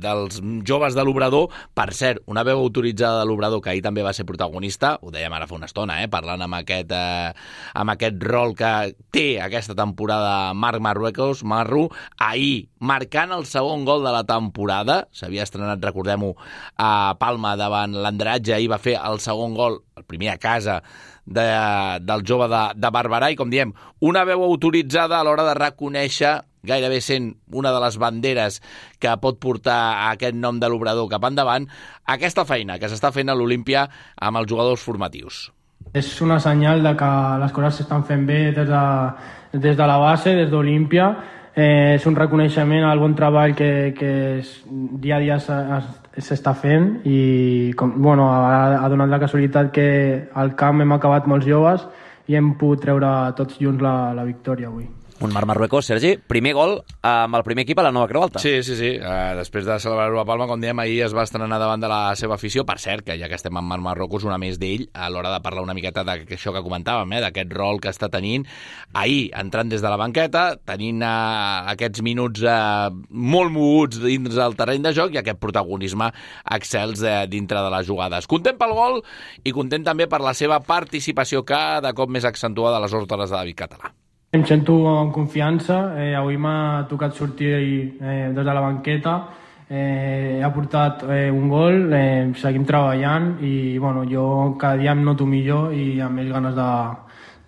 dels joves de l'Obrador. Per cert, una veu autoritzada de l'Obrador, que ahir també va ser protagonista, ho dèiem ara fa una estona, eh, parlant amb aquest, eh, amb aquest rol que té aquesta temporada Marc Marruecos, Marru, ahir marcant el segon gol de la temporada, s'havia estrenat, recordem-ho, a Palma davant l'Andratge, ahir va fer el segon gol, el primer a casa, De, del jove de, de Barberà, i com diem, una veu autoritzada a l'hora de reconèixer, gairebé sent una de les banderes que pot portar aquest nom de l'Obrador cap endavant, aquesta feina que s'està fent a l'Olímpia amb els jugadors formatius. És una senyal de que les coses s'estan fent bé des de, des de la base, des d'Olímpia. Eh, és un reconeixement al bon treball que, que es, dia a dia s'està fent, i com, bueno, ha, ha donat la casualitat que al camp hem acabat molts joves i hem pogut treure tots junts la, la victòria avui. Un Marc Marruecos, Sergi, primer gol amb el primer equip a la nova Creu Alta. Sí, sí, sí. Uh, després de celebrar-ho a Palma, com dèiem, ahir es va estrenar davant de la seva afició. Per cert, que ja que estem amb Marc Marruecos, una més d'ell, a l'hora de parlar una miqueta d'això que comentàvem, eh, d'aquest rol que està tenint. Ahir, entrant des de la banqueta, tenint uh, aquests minuts uh, molt moguts dins del terreny de joc i aquest protagonisme excels uh, dintre de les jugades. Content pel gol i content també per la seva participació cada cop més accentuada a les ordres de David Català. Em sento amb confiança, eh, avui m'ha tocat sortir eh, des de la banqueta, eh, he aportat eh, un gol, eh, seguim treballant i bueno, jo cada dia em noto millor i amb més ganes de,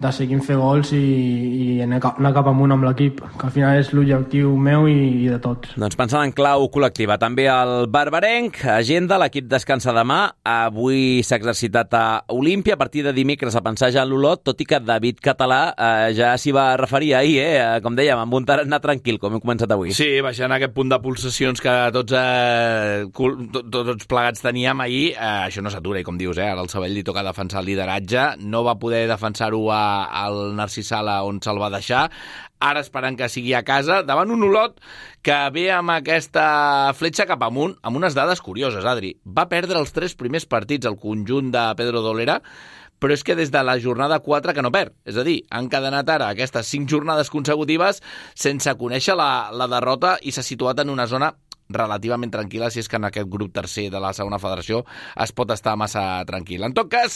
de seguir fent gols i, i anar cap amunt amb l'equip, que al final és l'objectiu meu i, i de tots. Doncs pensant en clau col·lectiva, també el barbarenc, agenda, l'equip descansa demà, avui s'ha exercitat a Olímpia, a partir de dimecres a pensar ja en l'Olot, tot i que David Català eh, ja s'hi va referir ahir, eh, com dèiem, amb un tarannà tranquil, com hem començat avui. Sí, baixant aquest punt de pulsacions que tots, eh, tots, tots plegats teníem ahir, eh, això no s'atura, i com dius, eh, ara el Sabadell li toca defensar el lideratge, no va poder defensar-ho a al Narcís Sala on se'l va deixar, ara esperant que sigui a casa, davant un Olot que ve amb aquesta fletxa cap amunt, amb unes dades curioses, Adri. Va perdre els tres primers partits al conjunt de Pedro Dolera, però és que des de la jornada quatre que no perd. És a dir, han encadenat ara aquestes cinc jornades consecutives sense conèixer la, la derrota i s'ha situat en una zona relativament tranquil·la, si és que en aquest grup tercer de la segona federació es pot estar massa tranquil. En tot cas,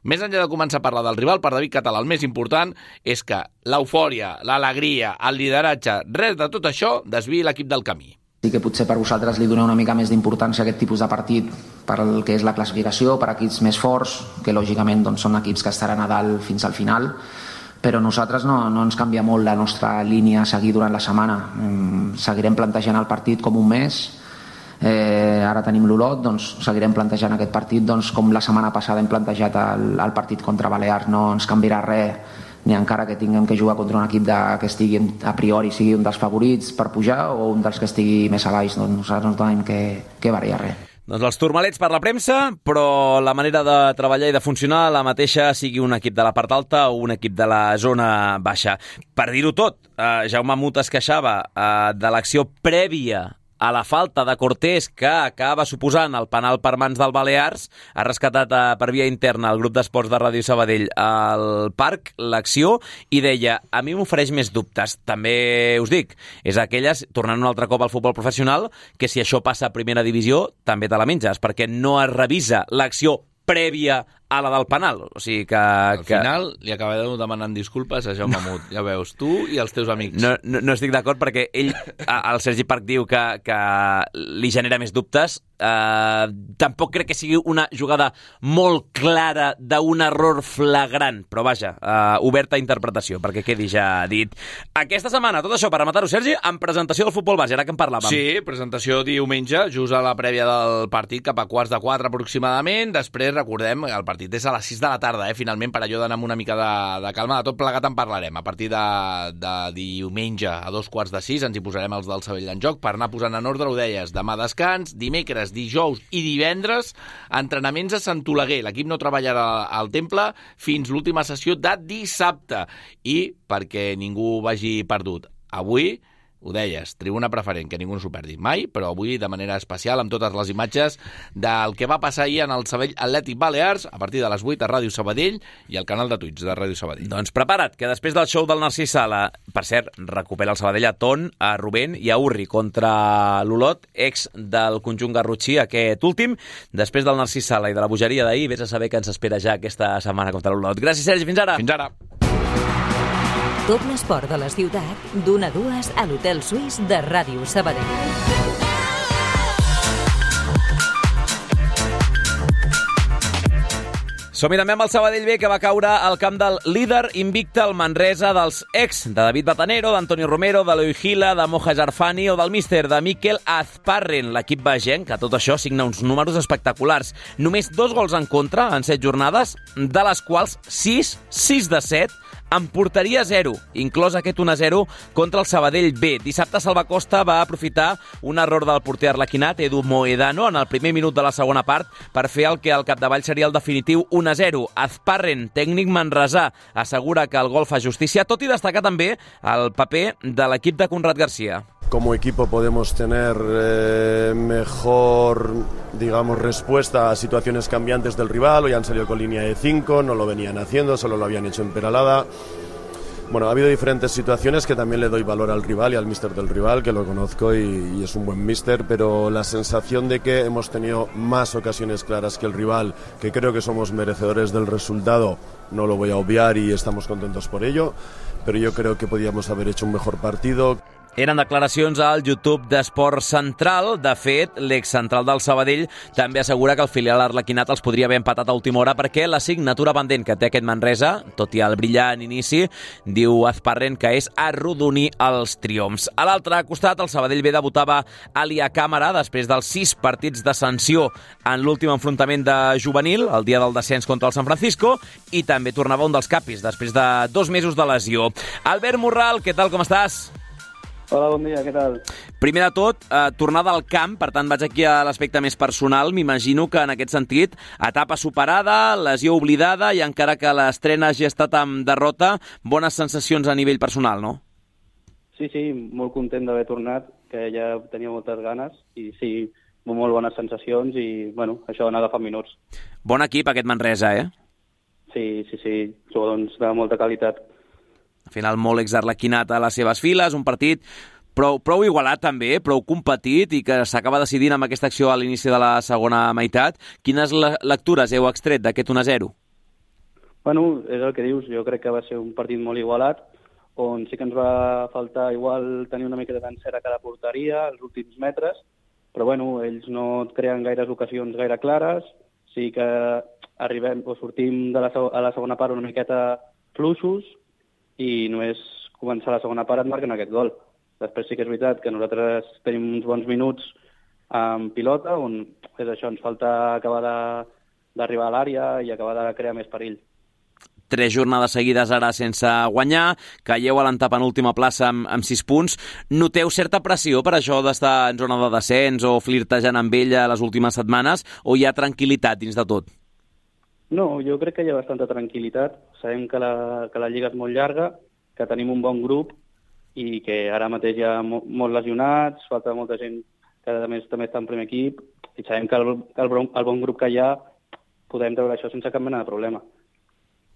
més enllà de començar a parlar del rival, per David Català el més important és que l'eufòria, l'alegria, el lideratge, res de tot això desviï l'equip del camí. Sí que potser per vosaltres li doneu una mica més d'importància a aquest tipus de partit per el que és la classificació, per equips més forts, que lògicament doncs, són equips que estaran a dalt fins al final, però nosaltres no, no ens canvia molt la nostra línia a seguir durant la setmana. Mm, seguirem plantejant el partit com un mes. Eh, ara tenim l'Olot, doncs seguirem plantejant aquest partit doncs, com la setmana passada hem plantejat el, el partit contra Balears. No ens canviarà res, ni encara que tinguem que jugar contra un equip de, que estigui a priori sigui un dels favorits per pujar o un dels que estigui més a baix. Doncs nosaltres no tenim que, que variar res. Doncs els turmalets per la premsa, però la manera de treballar i de funcionar la mateixa, sigui un equip de la part alta o un equip de la zona baixa. Per dir-ho tot, eh, Jaume Mut es queixava eh, de l'acció prèvia a la falta de Cortés que acaba suposant el penal per mans del Balears. Ha rescatat eh, per via interna el grup d'esports de Ràdio Sabadell al parc l'acció i deia, a mi m'ofereix més dubtes. També us dic, és aquelles, tornant un altre cop al futbol professional, que si això passa a primera divisió també te la menges, perquè no es revisa l'acció prèvia a la del penal. O sigui que... Al que... final li acabareu demanant disculpes a Jaume Mut. Ja veus, tu i els teus amics. No, no, no estic d'acord perquè ell, el Sergi Parc diu que, que li genera més dubtes. Uh, tampoc crec que sigui una jugada molt clara d'un error flagrant, però vaja, uh, oberta a interpretació, perquè quedi ja dit. Aquesta setmana, tot això per rematar-ho, Sergi, amb presentació del futbol base, ara que en parlàvem. Sí, presentació diumenge, just a la prèvia del partit, cap a quarts de quatre aproximadament. Després, recordem, el partit és a les sis de la tarda, eh? Finalment, per allò d'anar amb una mica de, de calma. De tot plegat en parlarem. A partir de, de diumenge a dos quarts de sis ens hi posarem els del Sabadell en joc per anar posant en ordre, ho deies, demà descans, dimecres, dijous i divendres, entrenaments a Sant Oleguer. L'equip no treballarà al Temple fins l'última sessió de dissabte. I, perquè ningú vagi perdut, avui, ho deies, tribuna preferent, que ningú no s'ho perdi mai, però avui de manera especial amb totes les imatges del que va passar ahir en el Sabadell Atlètic Balears a partir de les vuit a Ràdio Sabadell i al canal de Twitch de Ràdio Sabadell. Doncs prepara't, que després del show del Narcís Sala, per cert, recupera el Sabadell a Ton, a Rubén i a Urri contra l'Olot, ex del conjunt garrotxí, aquest últim. Després del Narcís Sala i de la bogeria d'ahir, vés a saber què ens espera ja aquesta setmana contra l'Olot. Gràcies, Sergi, fins ara. Fins ara. Tot l'esport de la ciutat, d'una a dues a l'Hotel Suís de Ràdio Sabadell. Som-hi també amb el Sabadell B, que va caure al camp del líder invicte, el Manresa, dels ex de David Batanero, d'Antonio Romero, de Eloi Gila, de Moja Jarfani o del míster de Mikel Azparren. L'equip vegenc, que tot això signa uns números espectaculars. Només dos gols en contra en set jornades, de les quals sis, sis de set, en porteria zero, inclòs aquest un a zero contra el Sabadell B. Dissabte Salva Costa va aprofitar un error del porter arlequinat, Edu Moedano, en el primer minut de la segona part per fer el que al capdavall seria el definitiu un a zero. Azparren, tècnic manresà, assegura que el gol fa justícia, tot i destacar també el paper de l'equip de Conrad García. Como equipo podemos tener eh, mejor, digamos, respuesta a situaciones cambiantes del rival. Hoy han salido con línea de cinco, no lo venían haciendo, solo lo habían hecho en Peralada. Bueno, ha habido diferentes situaciones que también le doy valor al rival y al míster del rival, que lo conozco y, y es un buen míster, pero la sensación de que hemos tenido más ocasiones claras que el rival, que creo que somos merecedores del resultado, no lo voy a obviar y estamos contentos por ello, pero yo creo que podíamos haber hecho un mejor partido. Eren declaracions al YouTube d'Esport Central. De fet, l'excentral del Sabadell també assegura que el filial arlequinat els podria haver empatat a última hora perquè la signatura pendent que té aquest Manresa, tot i el brillant inici, diu Azparren que és arrodonir els triomfs. A l'altre costat, el Sabadell B debutava Ali a càmera després dels sis partits de sanció en l'últim enfrontament de juvenil, el dia del descens contra el San Francisco, i també tornava un dels capis després de dos mesos de lesió. Albert Morral, què tal, com estàs? Hola, bon dia, què tal? Primer de tot, eh, tornada al camp, per tant vaig aquí a l'aspecte més personal. M'imagino que en aquest sentit, etapa superada, lesió oblidada i encara que l'estrena hagi estat amb derrota, bones sensacions a nivell personal, no? Sí, sí, molt content d'haver tornat, que ja tenia moltes ganes i sí, molt bones sensacions i, bueno, això d'anar agafant minuts. Bon equip aquest Manresa, eh? Sí, sí, sí, jugadors de molta qualitat. Al final, molt exarlequinat a les seves files, un partit prou, prou igualat també, prou competit i que s'acaba decidint amb aquesta acció a l'inici de la segona meitat. Quines lectures heu extret d'aquest un a zero? Bueno, és el que dius, jo crec que va ser un partit molt igualat, on sí que ens va faltar igual tenir una mica d'encert a cada porteria, els últims metres, però bueno, ells no creen gaires ocasions gaire clares, sí que arribem o sortim de la, a la segona part una miqueta fluixos, i només començar la segona part et marquen aquest gol. Després sí que és veritat que nosaltres tenim uns bons minuts amb pilota, on és això, ens falta acabar d'arribar a l'àrea i acabar de crear més perill. Tres jornades seguides ara sense guanyar, caieu a l'antepenúltima plaça amb, amb sis punts. Noteu certa pressió per això d'estar en zona de descens o flirtejant amb ella les últimes setmanes, o hi ha tranquil·litat dins de tot? No, jo crec que hi ha bastanta tranquil·litat. Sabem que la, que la lliga és molt llarga, que tenim un bon grup i que ara mateix hi ha mo molts lesionats, falta molta gent que a més també està en primer equip, i sabem que el, el, el bon grup que hi ha podem treure això sense cap mena de problema.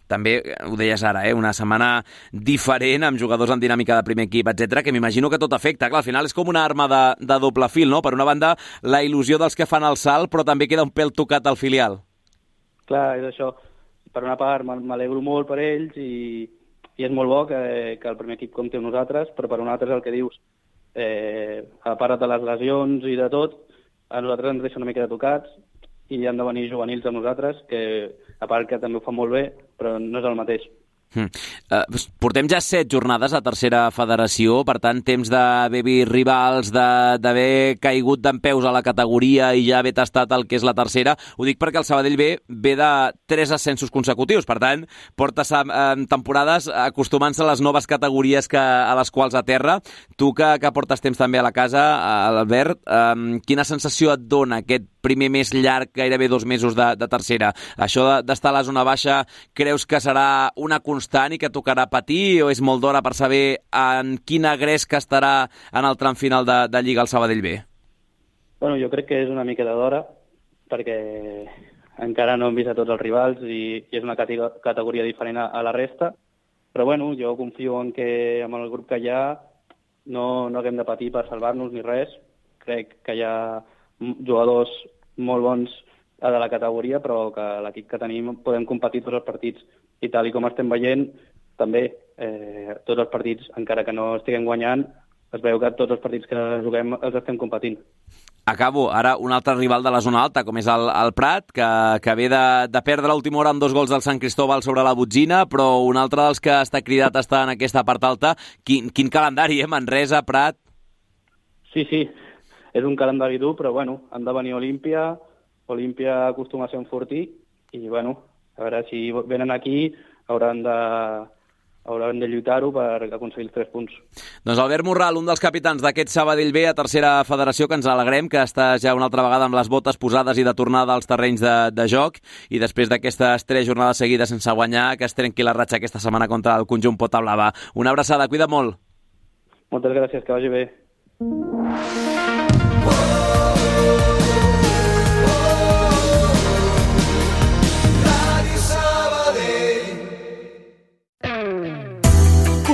També, ho deies ara, eh? Una setmana diferent, amb jugadors en dinàmica de primer equip, etcètera, que m'imagino que tot afecta. Clar, al final és com una arma de, de doble fil, no? Per una banda, la il·lusió dels que fan el salt, però també queda un pèl tocat al filial. Clar, és això. Per una part, m'alegro molt per ells i, i és molt bo que, que el primer equip compti amb nosaltres, però per una altra és el que dius. Eh, a part de les lesions i de tot, a nosaltres ens deixa una mica de tocats i han de venir juvenils amb nosaltres, que a part que també ho fan molt bé, però no és el mateix. Hmm. Uh, portem ja set jornades a tercera federació, per tant, temps d'haver vist rivals, d'haver caigut d'empeus a la categoria i ja haver tastat el que és la tercera. Ho dic perquè el Sabadell B ve de tres ascensos consecutius, per tant, porta eh, temporades acostumant-se a les noves categories que, a les quals aterra. Tu que, que portes temps també a la casa, Albert, eh, quina sensació et dona aquest primer mes llarg, gairebé dos mesos de, de tercera? Això d'estar a la zona baixa, creus que serà una constant i que tocarà patir, o és molt d'hora per saber en quina gresca estarà en el tram final de, de Lliga el Sabadell B? Bueno, jo crec que és una mica d'hora, perquè encara no hem vist a tots els rivals i, i és una categoria diferent a, a la resta, però bueno, jo confio en que amb el grup que hi ha no, no haguem de patir per salvar-nos ni res. Crec que hi ha jugadors molt bons de la categoria, però que l'equip que tenim podem competir tots els partits. I tal i com estem veient, també eh, tots els partits, encara que no estiguem guanyant, es veu que tots els partits que juguem els estem competint. Acabo. Ara un altre rival de la zona alta, com és el, el Prat, que, que ve de, de perdre l'última hora amb dos gols del Sant Cristóbal sobre la Botzina, però un altre dels que està cridat a estar en aquesta part alta. Quin, quin calendari, eh? Manresa, Prat... Sí, sí. És un calendari dur, però bueno, han de venir a Olímpia, Olímpia acostuma a ser un fortí, i bueno, a veure, si venen aquí hauran de, hauran de lluitar-ho per aconseguir els tres punts. Doncs Albert Morral, un dels capitans d'aquest Sabadell B a tercera federació, que ens alegrem que estàs ja una altra vegada amb les botes posades i de tornada als terrenys de, de joc, i després d'aquestes tres jornades seguides sense guanyar, que es trenqui la ratxa aquesta setmana contra el conjunt Pota Blava. Una abraçada, cuida molt. Moltes gràcies, que vagi bé.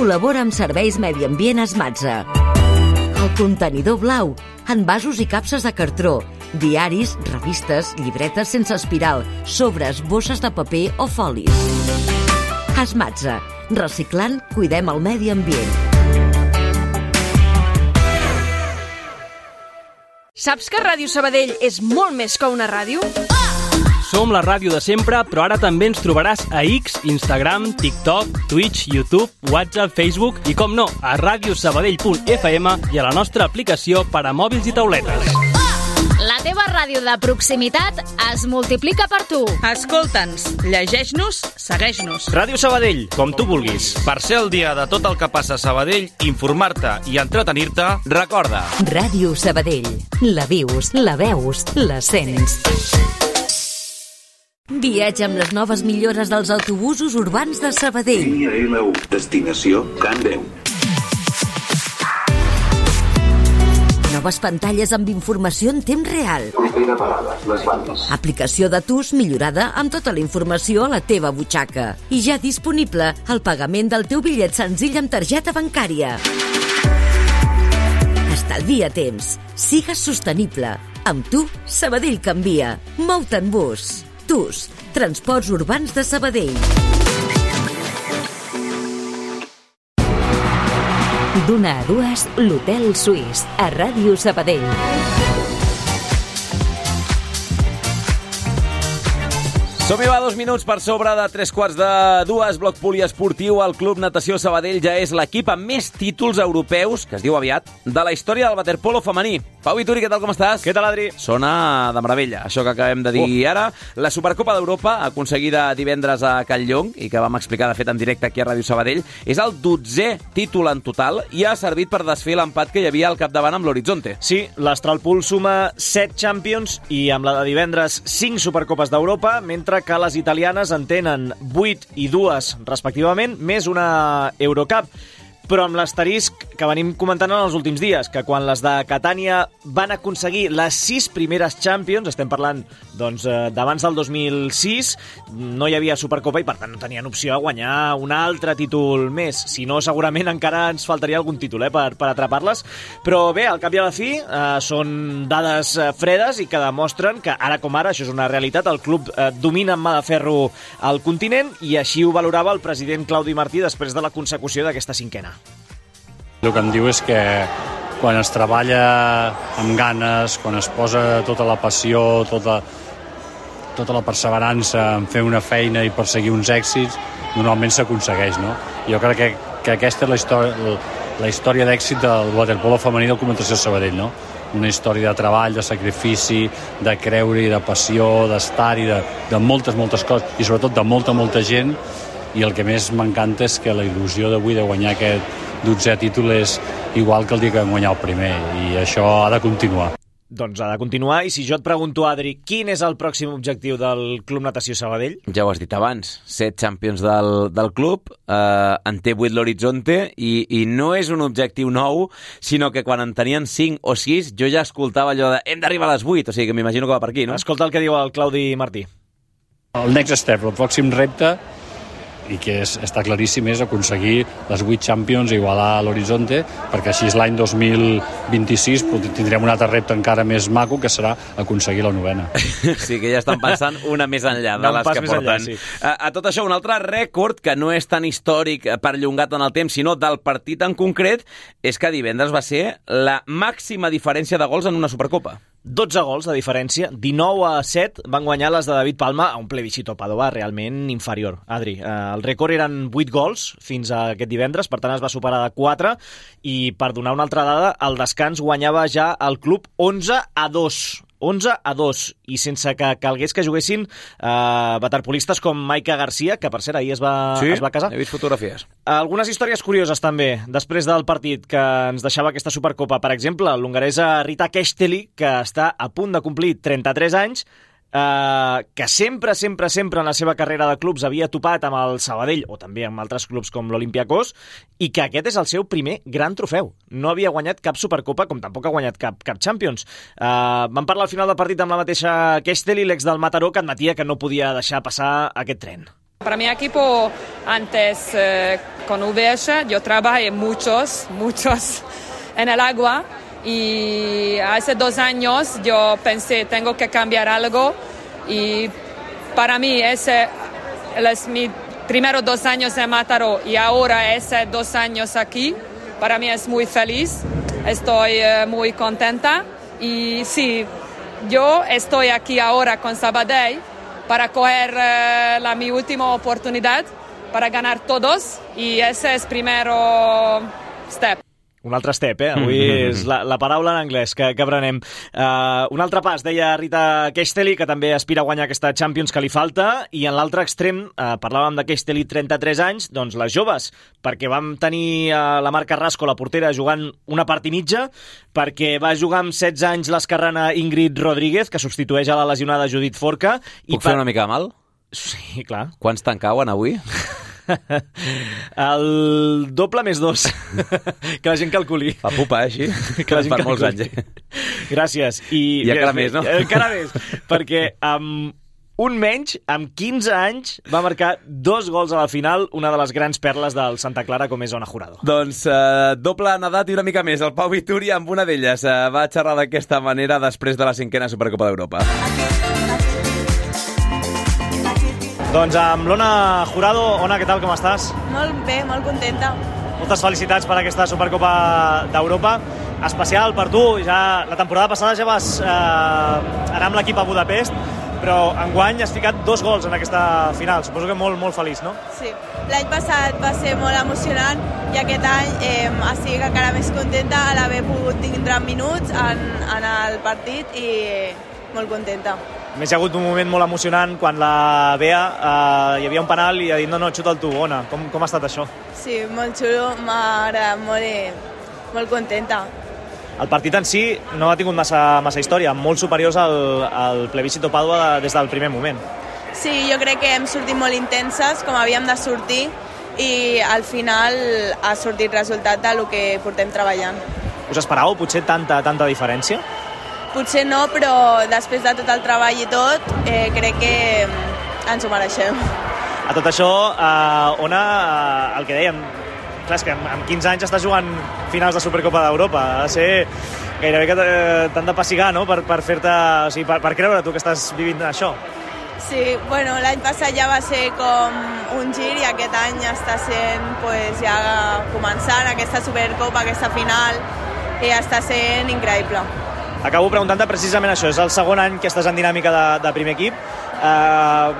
Col·labora amb Serveis Medi Ambient Esmatza. El contenidor blau, envasos i capses de cartró, diaris, revistes, llibretes sense espiral, sobres, bosses de paper o folis. Esmatza. Reciclant, cuidem el medi ambient. Saps que Ràdio Sabadell és molt més que una ràdio? Som la ràdio de sempre, però ara també ens trobaràs a X, Instagram, TikTok, Twitch, YouTube, WhatsApp, Facebook i, com no, a radiosabadell punt f m i a la nostra aplicació per a mòbils i tauletes. La teva ràdio de proximitat es multiplica per tu. Escolta'ns, llegeix-nos, segueix-nos. Ràdio Sabadell, com tu vulguis. Per ser al dia de tot el que passa a Sabadell, informar-te i entretenir-te, recorda. Ràdio Sabadell. La vius, la veus, la sents. Viatja amb les noves millores dels autobusos urbans de Sabadell. Línia L u, destinació Can Déu. Noves pantalles amb informació en temps real. Propera parada, les bandes. Aplicació de T U S millorada amb tota la informació a la teva butxaca. I ja disponible el pagament del teu bitllet senzill amb targeta bancària. Estalvia temps. Sigues sostenible. Amb tu, Sabadell canvia. Mou-te en bus. T U S, Transports Urbans de Sabadell. D'una a dues, l'Hotel Suís, a Ràdio Sabadell. Som-hi, va, dos minuts per sobre de tres quarts de dues. Bloc poliesportiu. El Club Natació Sabadell ja és l'equip amb més títols europeus, que es diu aviat, de la història del waterpolo femení. Pau Vituri, què tal, com estàs? Què tal, Adri? Sona de meravella, això que acabem de dir oh. ara. La Supercopa d'Europa, aconseguida divendres a Catlllong, i que vam explicar, de fet, en directe aquí a Ràdio Sabadell, és el dotzè títol en total i ha servit per desfer l'empat que hi havia al capdavant amb l'Horizonte. Sí, l'Astralpool suma set Champions i amb la de divendres cinc Supercopes d'Europa, mentre que les italianes en tenen vuit i dues, respectivament, més una Eurocup. Però amb l'asterisc que venim comentant en els últims dies, que quan les de Catània van aconseguir les sis primeres Champions, estem parlant doncs, d'abans del dos mil sis, no hi havia Supercopa i per tant no tenien opció a guanyar un altre títol més. Si no, segurament encara ens faltaria algun títol eh, per, per atrapar-les. Però bé, al cap i a la fi, eh, són dades eh, fredes i que demostren que ara com ara, això és una realitat, el club eh, domina amb mà de ferro el continent i així ho valorava el president Claudi Martí després de la consecució d'aquesta cinquena. El que em diu és que quan es treballa amb ganes, quan es posa tota la passió, tota, tota la perseverança en fer una feina i perseguir uns èxits, normalment s'aconsegueix, no? Jo crec que, que aquesta és la història, la història d'èxit del waterpolo femení del Club Natació Sabadell, no? Una història de treball, de sacrifici, de creure-hi, de passió, d'estar-hi, de, de moltes, moltes coses, i sobretot de molta, molta gent, i el que més m'encanta és que la il·lusió d'avui de guanyar aquest dotzè títol és igual que el dia que vam guanyar el primer, i això ha de continuar. Doncs ha de continuar, i si jo et pregunto, Adri, quin és el pròxim objectiu del Club Natació Sabadell? Ja ho has dit abans, set Champions del, del club, eh, en té vuit l'Horizonte, i, i no és un objectiu nou, sinó que quan en tenien cinc o sis, jo ja escoltava allò de hem d'arribar a les vuit, o sigui que m'imagino que va per aquí, no? Escolta el que diu el Claudi Martí. El next step, el pròxim repte, i que és, està claríssim, és aconseguir les vuit Champions i igualar l'Horizonte, perquè així l'any dos mil vint-i-sis tindrem un altre repte encara més maco, que serà aconseguir la novena. Sí, que ja estan pensant una més enllà de les que porten. Enllà, sí. a, a tot això, un altre rècord que no és tan històric perllongat en el temps, sinó del partit en concret, és que divendres va ser la màxima diferència de gols en una Supercopa. dotze gols de diferència, dinou a set van guanyar les de David Palma a un plebiscito Padova realment inferior. Adri, eh, el rècord eren vuit gols fins a aquest divendres, per tant es va superar de quatre, i per donar una altra dada, al descans guanyava ja el club onze a dos. onze a dos, i sense que calgués que juguessin eh, waterpolistes com Maika Garcia, que per cert ahir es va, sí, es va casar. He vist fotografies. Algunes històries curioses també, després del partit que ens deixava aquesta Supercopa. Per exemple, l'hongaresa Rita Kesteli, que està a punt de complir trenta-tres anys, Uh, que sempre, sempre, sempre en la seva carrera de clubs havia topat amb el Sabadell, o també amb altres clubs com l'Olympiacos, i que aquest és el seu primer gran trofeu. No havia guanyat cap Supercopa, com tampoc ha guanyat cap, cap Champions. Uh, vam parlar al final del partit amb la mateixa Kesteli, l'ex del Mataró, que admetia que no podia deixar passar aquest tren. Para mi equipo, antes eh, con U V S, yo trabajé muchos, muchos en el agua. Y hace dos años yo pensé, tengo que cambiar algo, y para mí ese es mi primeros dos años en Mataró y ahora ese dos años aquí, para mí es muy feliz, estoy eh, muy contenta, y sí, yo estoy aquí ahora con Sabadell para coger eh, la, mi última oportunidad para ganar todos, y ese es primero step. Un altre step, eh? Avui és la, la paraula en anglès que, que aprenem. Uh, un altre pas, deia Rita Kesteli, que també aspira a guanyar aquesta Champions que li falta, i en l'altre extrem, uh, parlàvem de Kesteli, trenta-tres anys, doncs les joves, perquè vam tenir uh, la Marc Carrasco, la portera, jugant una part i mitja, perquè va jugar amb setze anys l'esquerrana Ingrid Rodríguez, que substitueix a la lesionada Judit Forca. Puc i fer per... una mica mal? Sí, clar. Quants te'n cauen avui? El doble més dos. Que la gent calculi. Fa pupa, eh, així? Que la gent per calculi. molts anys. Eh? Gràcies. I, I encara més, no? Encara més, perquè amb un menys, amb quinze anys, va marcar dos gols a la final, una de les grans perles del Santa Clara, com és Ona Jurado. Doncs eh, doble nedat i una mica més. El Pau Vituri, amb una d'elles, eh, va xerrar d'aquesta manera després de la cinquena Supercopa d'Europa. Doncs amb l'Ona Jurado. Ona, què tal, com estàs? Molt bé, molt contenta. Moltes felicitats per aquesta Supercopa d'Europa. Especial per tu, ja la temporada passada ja vas eh, anar amb l'equip a Budapest, però enguany has ficat dos gols en aquesta final. Suposo que molt, molt feliç, no? Sí. L'any passat va ser molt emocionant i aquest any eh, estic encara més contenta a l'haver pogut tindre minuts en, en el partit i molt contenta. A més, hi ha hagut un moment molt emocionant quan la Bea eh, hi havia un penal i ha dit no, no, xuta'l tu, Ona. Com, com ha estat això? Sí, molt xulo, m'ha agradat molt i molt contenta. El partit en si no ha tingut massa, massa història, molt superiors al, al plebiscito Pàdua des del primer moment. Sí, jo crec que hem sortit molt intenses, com havíem de sortir, i al final ha sortit resultat del que portem treballant. Us esperàveu potser tanta, tanta diferència? Potser no, però després de tot el treball i tot, eh, crec que ens ho mereixem. A tot això, eh, Ona, eh, el que dèiem, clar, és que amb, amb quinze anys estàs jugant finals de Supercopa d'Europa. Ha de ser gairebé que t'han de pessigar, no?, per, per fer-te... O sigui, per, per creure tu que estàs vivint això. Sí, bueno, l'any passat ja va ser com un gir i aquest any està sent, pues, ja començant aquesta Supercopa, aquesta final, i està sent increïble. Acabo preguntant-te precisament això. És el segon any que estàs en dinàmica de, de primer equip. Uh,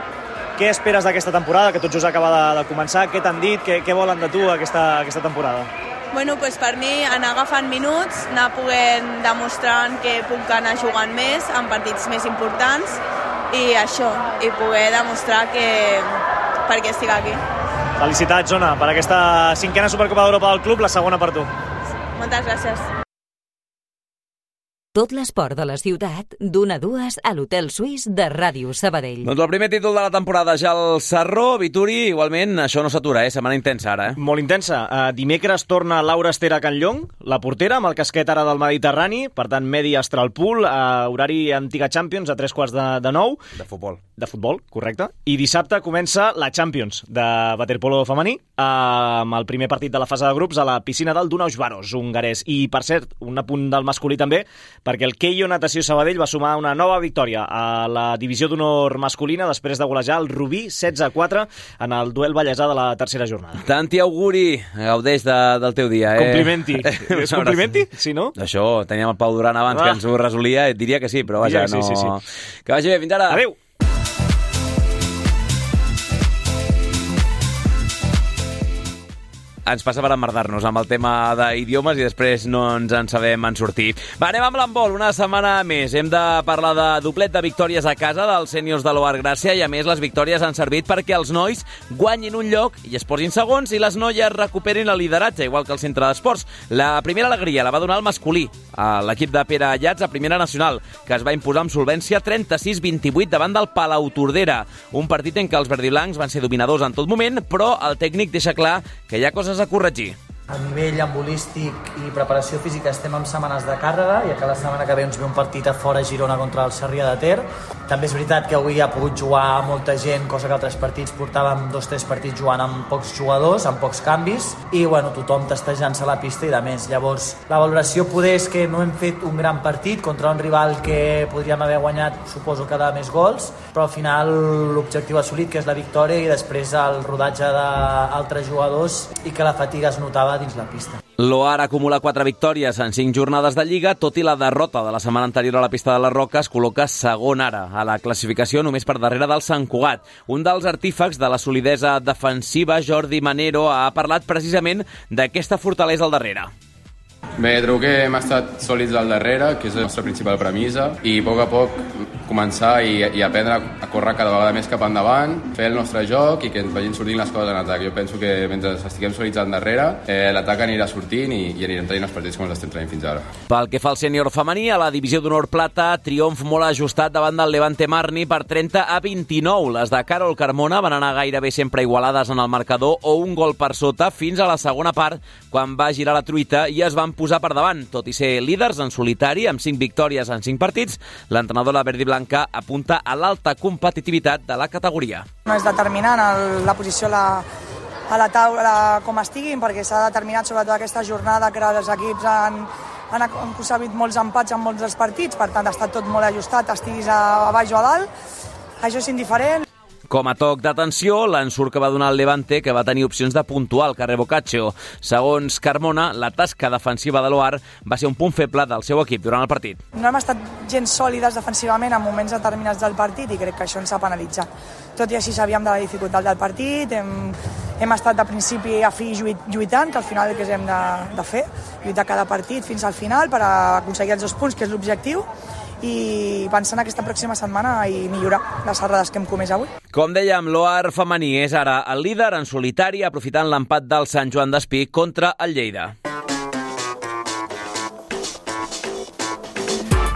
què esperes d'aquesta temporada, que tot just acaba de, de començar? Què t'han dit? Què, què volen de tu aquesta, aquesta temporada? Bueno, pues per mi anar agafant minuts, anar podent demostrant que puc anar jugant més en partits més importants i això, i poder demostrar que per què estic aquí. Felicitats, Ona, per aquesta cinquena Supercopa d'Europa del club, la segona per tu. Moltes gràcies. Tot l'esport de la ciutat, d'una a dues a l'Hotel Suís de Ràdio Sabadell. Doncs el primer títol de la temporada ja el Sarró, Vituri, igualment, això no s'atura, eh? Setmana intensa ara, eh? Molt intensa. Uh, dimecres torna Laura Esther a Can Llong, la portera, amb el casquet ara del Mediterrani, per tant, Medi Astralpool, uh, horari Antiga Champions, a tres quarts de, de nou. De futbol. De futbol, correcte. I dissabte comença la Champions de waterpolo femení, uh, amb el primer partit de la fase de grups a la piscina del Dunaus Baros, hongarès. I, per cert, un apunt del masculí també, perquè el Keio Natació Sabadell va sumar una nova victòria a la divisió d'honor masculina després de golejar el Rubí setze a quatre en el duel ballesà de la tercera jornada. Tanti auguri, gaudeix de, del teu dia, eh? Complimenti. És complimenti? Sí, no? Això, teníem el Pau Duran abans ah. que ens ho resolia, et diria que sí, però vaja, sí, no... Sí, sí. Que vagi bé, fins ara. Adéu. Ens passa per emmerdar-nos amb el tema d'idiomes i després no ens en sabem en sortir. Va, anem amb l'handbol, una setmana més. Hem de parlar de doblet de victòries a casa dels sèniors de l'O A R Gràcia i, a més, les victòries han servit perquè els nois guanyin un lloc i es posin segons i les noies recuperin el lideratge, igual que el centre d'esports. La primera alegria la va donar el masculí, a l'equip de Pere Allats a Primera Nacional, que es va imposar amb solvència trenta-sis vint-i-vuit davant del Palau Tordera. Un partit en què els verdiblancs van ser dominadors en tot moment, però el tècnic deixa clar que hi ha coses a corregir. A nivell embolístic i preparació física estem en setmanes de càrrega, i que la setmana que ve ens ve un partit a fora a Girona contra el Sarrià de Ter. També és veritat que avui ha pogut jugar molta gent, cosa que altres partits portàvem dos o tres partits jugant amb pocs jugadors, amb pocs canvis, i bueno, tothom testejant-se a la pista i de més. Llavors, la valoració poder és que no hem fet un gran partit contra un rival que podríem haver guanyat, suposo que de més gols, però al final l'objectiu assolit, que és la victòria, i després el rodatge d'altres jugadors i que la fatiga es notava dins la pista. L'O A R acumula quatre victòries en cinc jornades de Lliga, tot i la derrota de la setmana anterior a la pista de les Roques col·loca segon ara a la classificació, només per darrere del Sant Cugat. Un dels artífecs de la solidesa defensiva, Jordi Manero, ha parlat precisament d'aquesta fortalesa al darrere. Bé, trobo que hem estat sòlids al darrere, que és la nostra principal premissa, i a poc a poc començar i, i aprendre a córrer cada vegada més cap endavant, fer el nostre joc i que ens vagin sortint les coses en atac. Jo penso que mentre estiguem sòlids al darrere, eh, l'atac anirà sortint i, i anirem tenint els partits com els estem tenint fins ara. Pel que fa al sènior femení, a la divisió d'honor plata, triomf molt ajustat davant del Levante Marni per trenta a vint-i-nou. Les de Carol Carmona van anar gairebé sempre igualades en el marcador o un gol per sota fins a la segona part, quan va girar la truita i es van posar per davant. Tot i ser líders en solitari, amb cinc victòries en cinc partits, l'entrenadora verd i blanca apunta a l'alta competitivitat de la categoria. No és determinant el, la posició a la, a la taula com estiguin, perquè s'ha determinat sobretot aquesta jornada que els equips han, han aconseguit molts empats en molts dels partits, per tant ha estat tot molt ajustat, estiguis a, a baix o a dalt. Això és indiferent. Com a toc d'atenció, l'ensurt que va donar el Levante, que va tenir opcions de puntuar al carrer Boccaccio. Segons Carmona, la tasca defensiva de l'Oar va ser un punt feble del seu equip durant el partit. No hem estat gens sòlides defensivament en moments determinats del partit i crec que això ens ha penalitzat. Tot i així sabíem de la dificultat del partit, hem, hem estat de principi a fi lluitant, que al final el que hem de, de fer, lluitar cada partit fins al final per aconseguir els dos punts, que és l'objectiu, i pensar en aquesta pròxima setmana i millorar les errades que hem comès avui. Com dèiem, l'Oar femení és ara el líder en solitari, aprofitant l'empat del Sant Joan d'Espí contra el Lleida.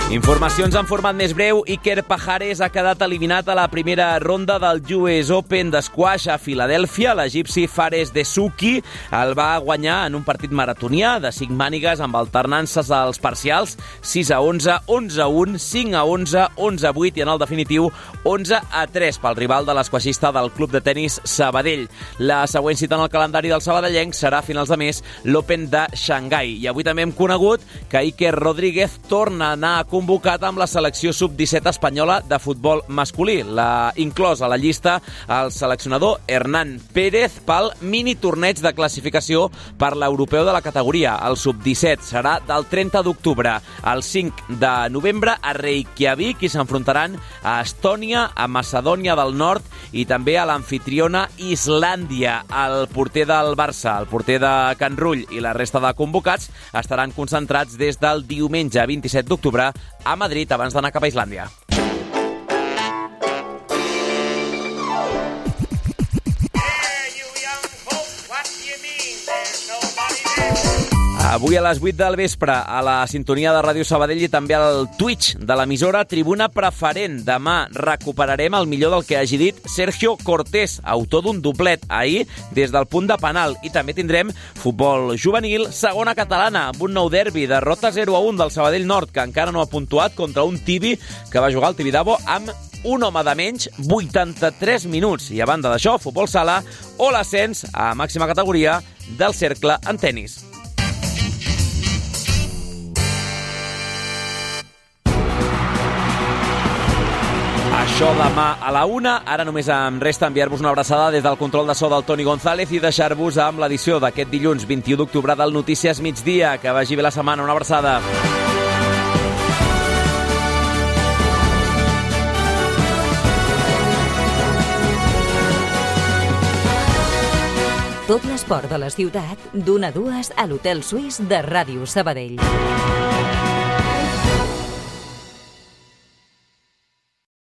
Informacions en format més breu. Iker Pajares ha quedat eliminat a la primera ronda del U S Open d'esquash a Filadèlfia. L'egipci Fares Dessouki el va guanyar en un partit maratonià de cinc mànigues amb alternances als parcials sis a onze, onze a un, cinc a onze, onze a vuit i en el definitiu onze a tres pel rival de l'esquaixista del club de tenis Sabadell. La següent cita en el calendari del sabadellenc serà a finals de mes l'Open de Xangai. I avui també hem conegut que Iker Rodríguez torna a anar a convocat amb la selecció sub disset espanyola de futbol masculí. L'ha inclòs a la llista el seleccionador Hernán Pérez pel mini torneig de classificació per l'europeu de la categoria. El sub disset serà del trenta d'octubre al cinc de novembre a Reykjavik i s'enfrontaran a Estònia, a Macedònia del Nord i també a l'anfitriona Islàndia. El porter del Barça, el porter de Can Rull i la resta de convocats estaran concentrats des del diumenge vint-i-set d'octubre a Madrid abans d'anar cap a Islàndia. Avui a les vuit del vespre a la sintonia de Ràdio Sabadell i també al Twitch de l'emissora Tribuna Preferent. Demà recuperarem el millor del que hagi dit Sergio Cortés, autor d'un doblet ahir des del punt de penal. I també tindrem futbol juvenil, segona catalana, amb un nou derbi, derrota zero a un del Sabadell Nord, que encara no ha puntuat contra un Tibi que va jugar al Tibidabo amb un home de menys, vuitanta-tres minuts. I a banda d'això, futbol sala o l'ascens a màxima categoria del cercle en tenis. Això demà a la una. Ara només em resta enviar-vos una abraçada des del control de so del Toni González i deixar-vos amb l'edició d'aquest dilluns vint-i-u d'octubre del Notícies Migdia. Que vagi bé la setmana. Una abraçada. Tot l'esport de la ciutat, d'una a dues a l'Hotel Suís de Ràdio Sabadell.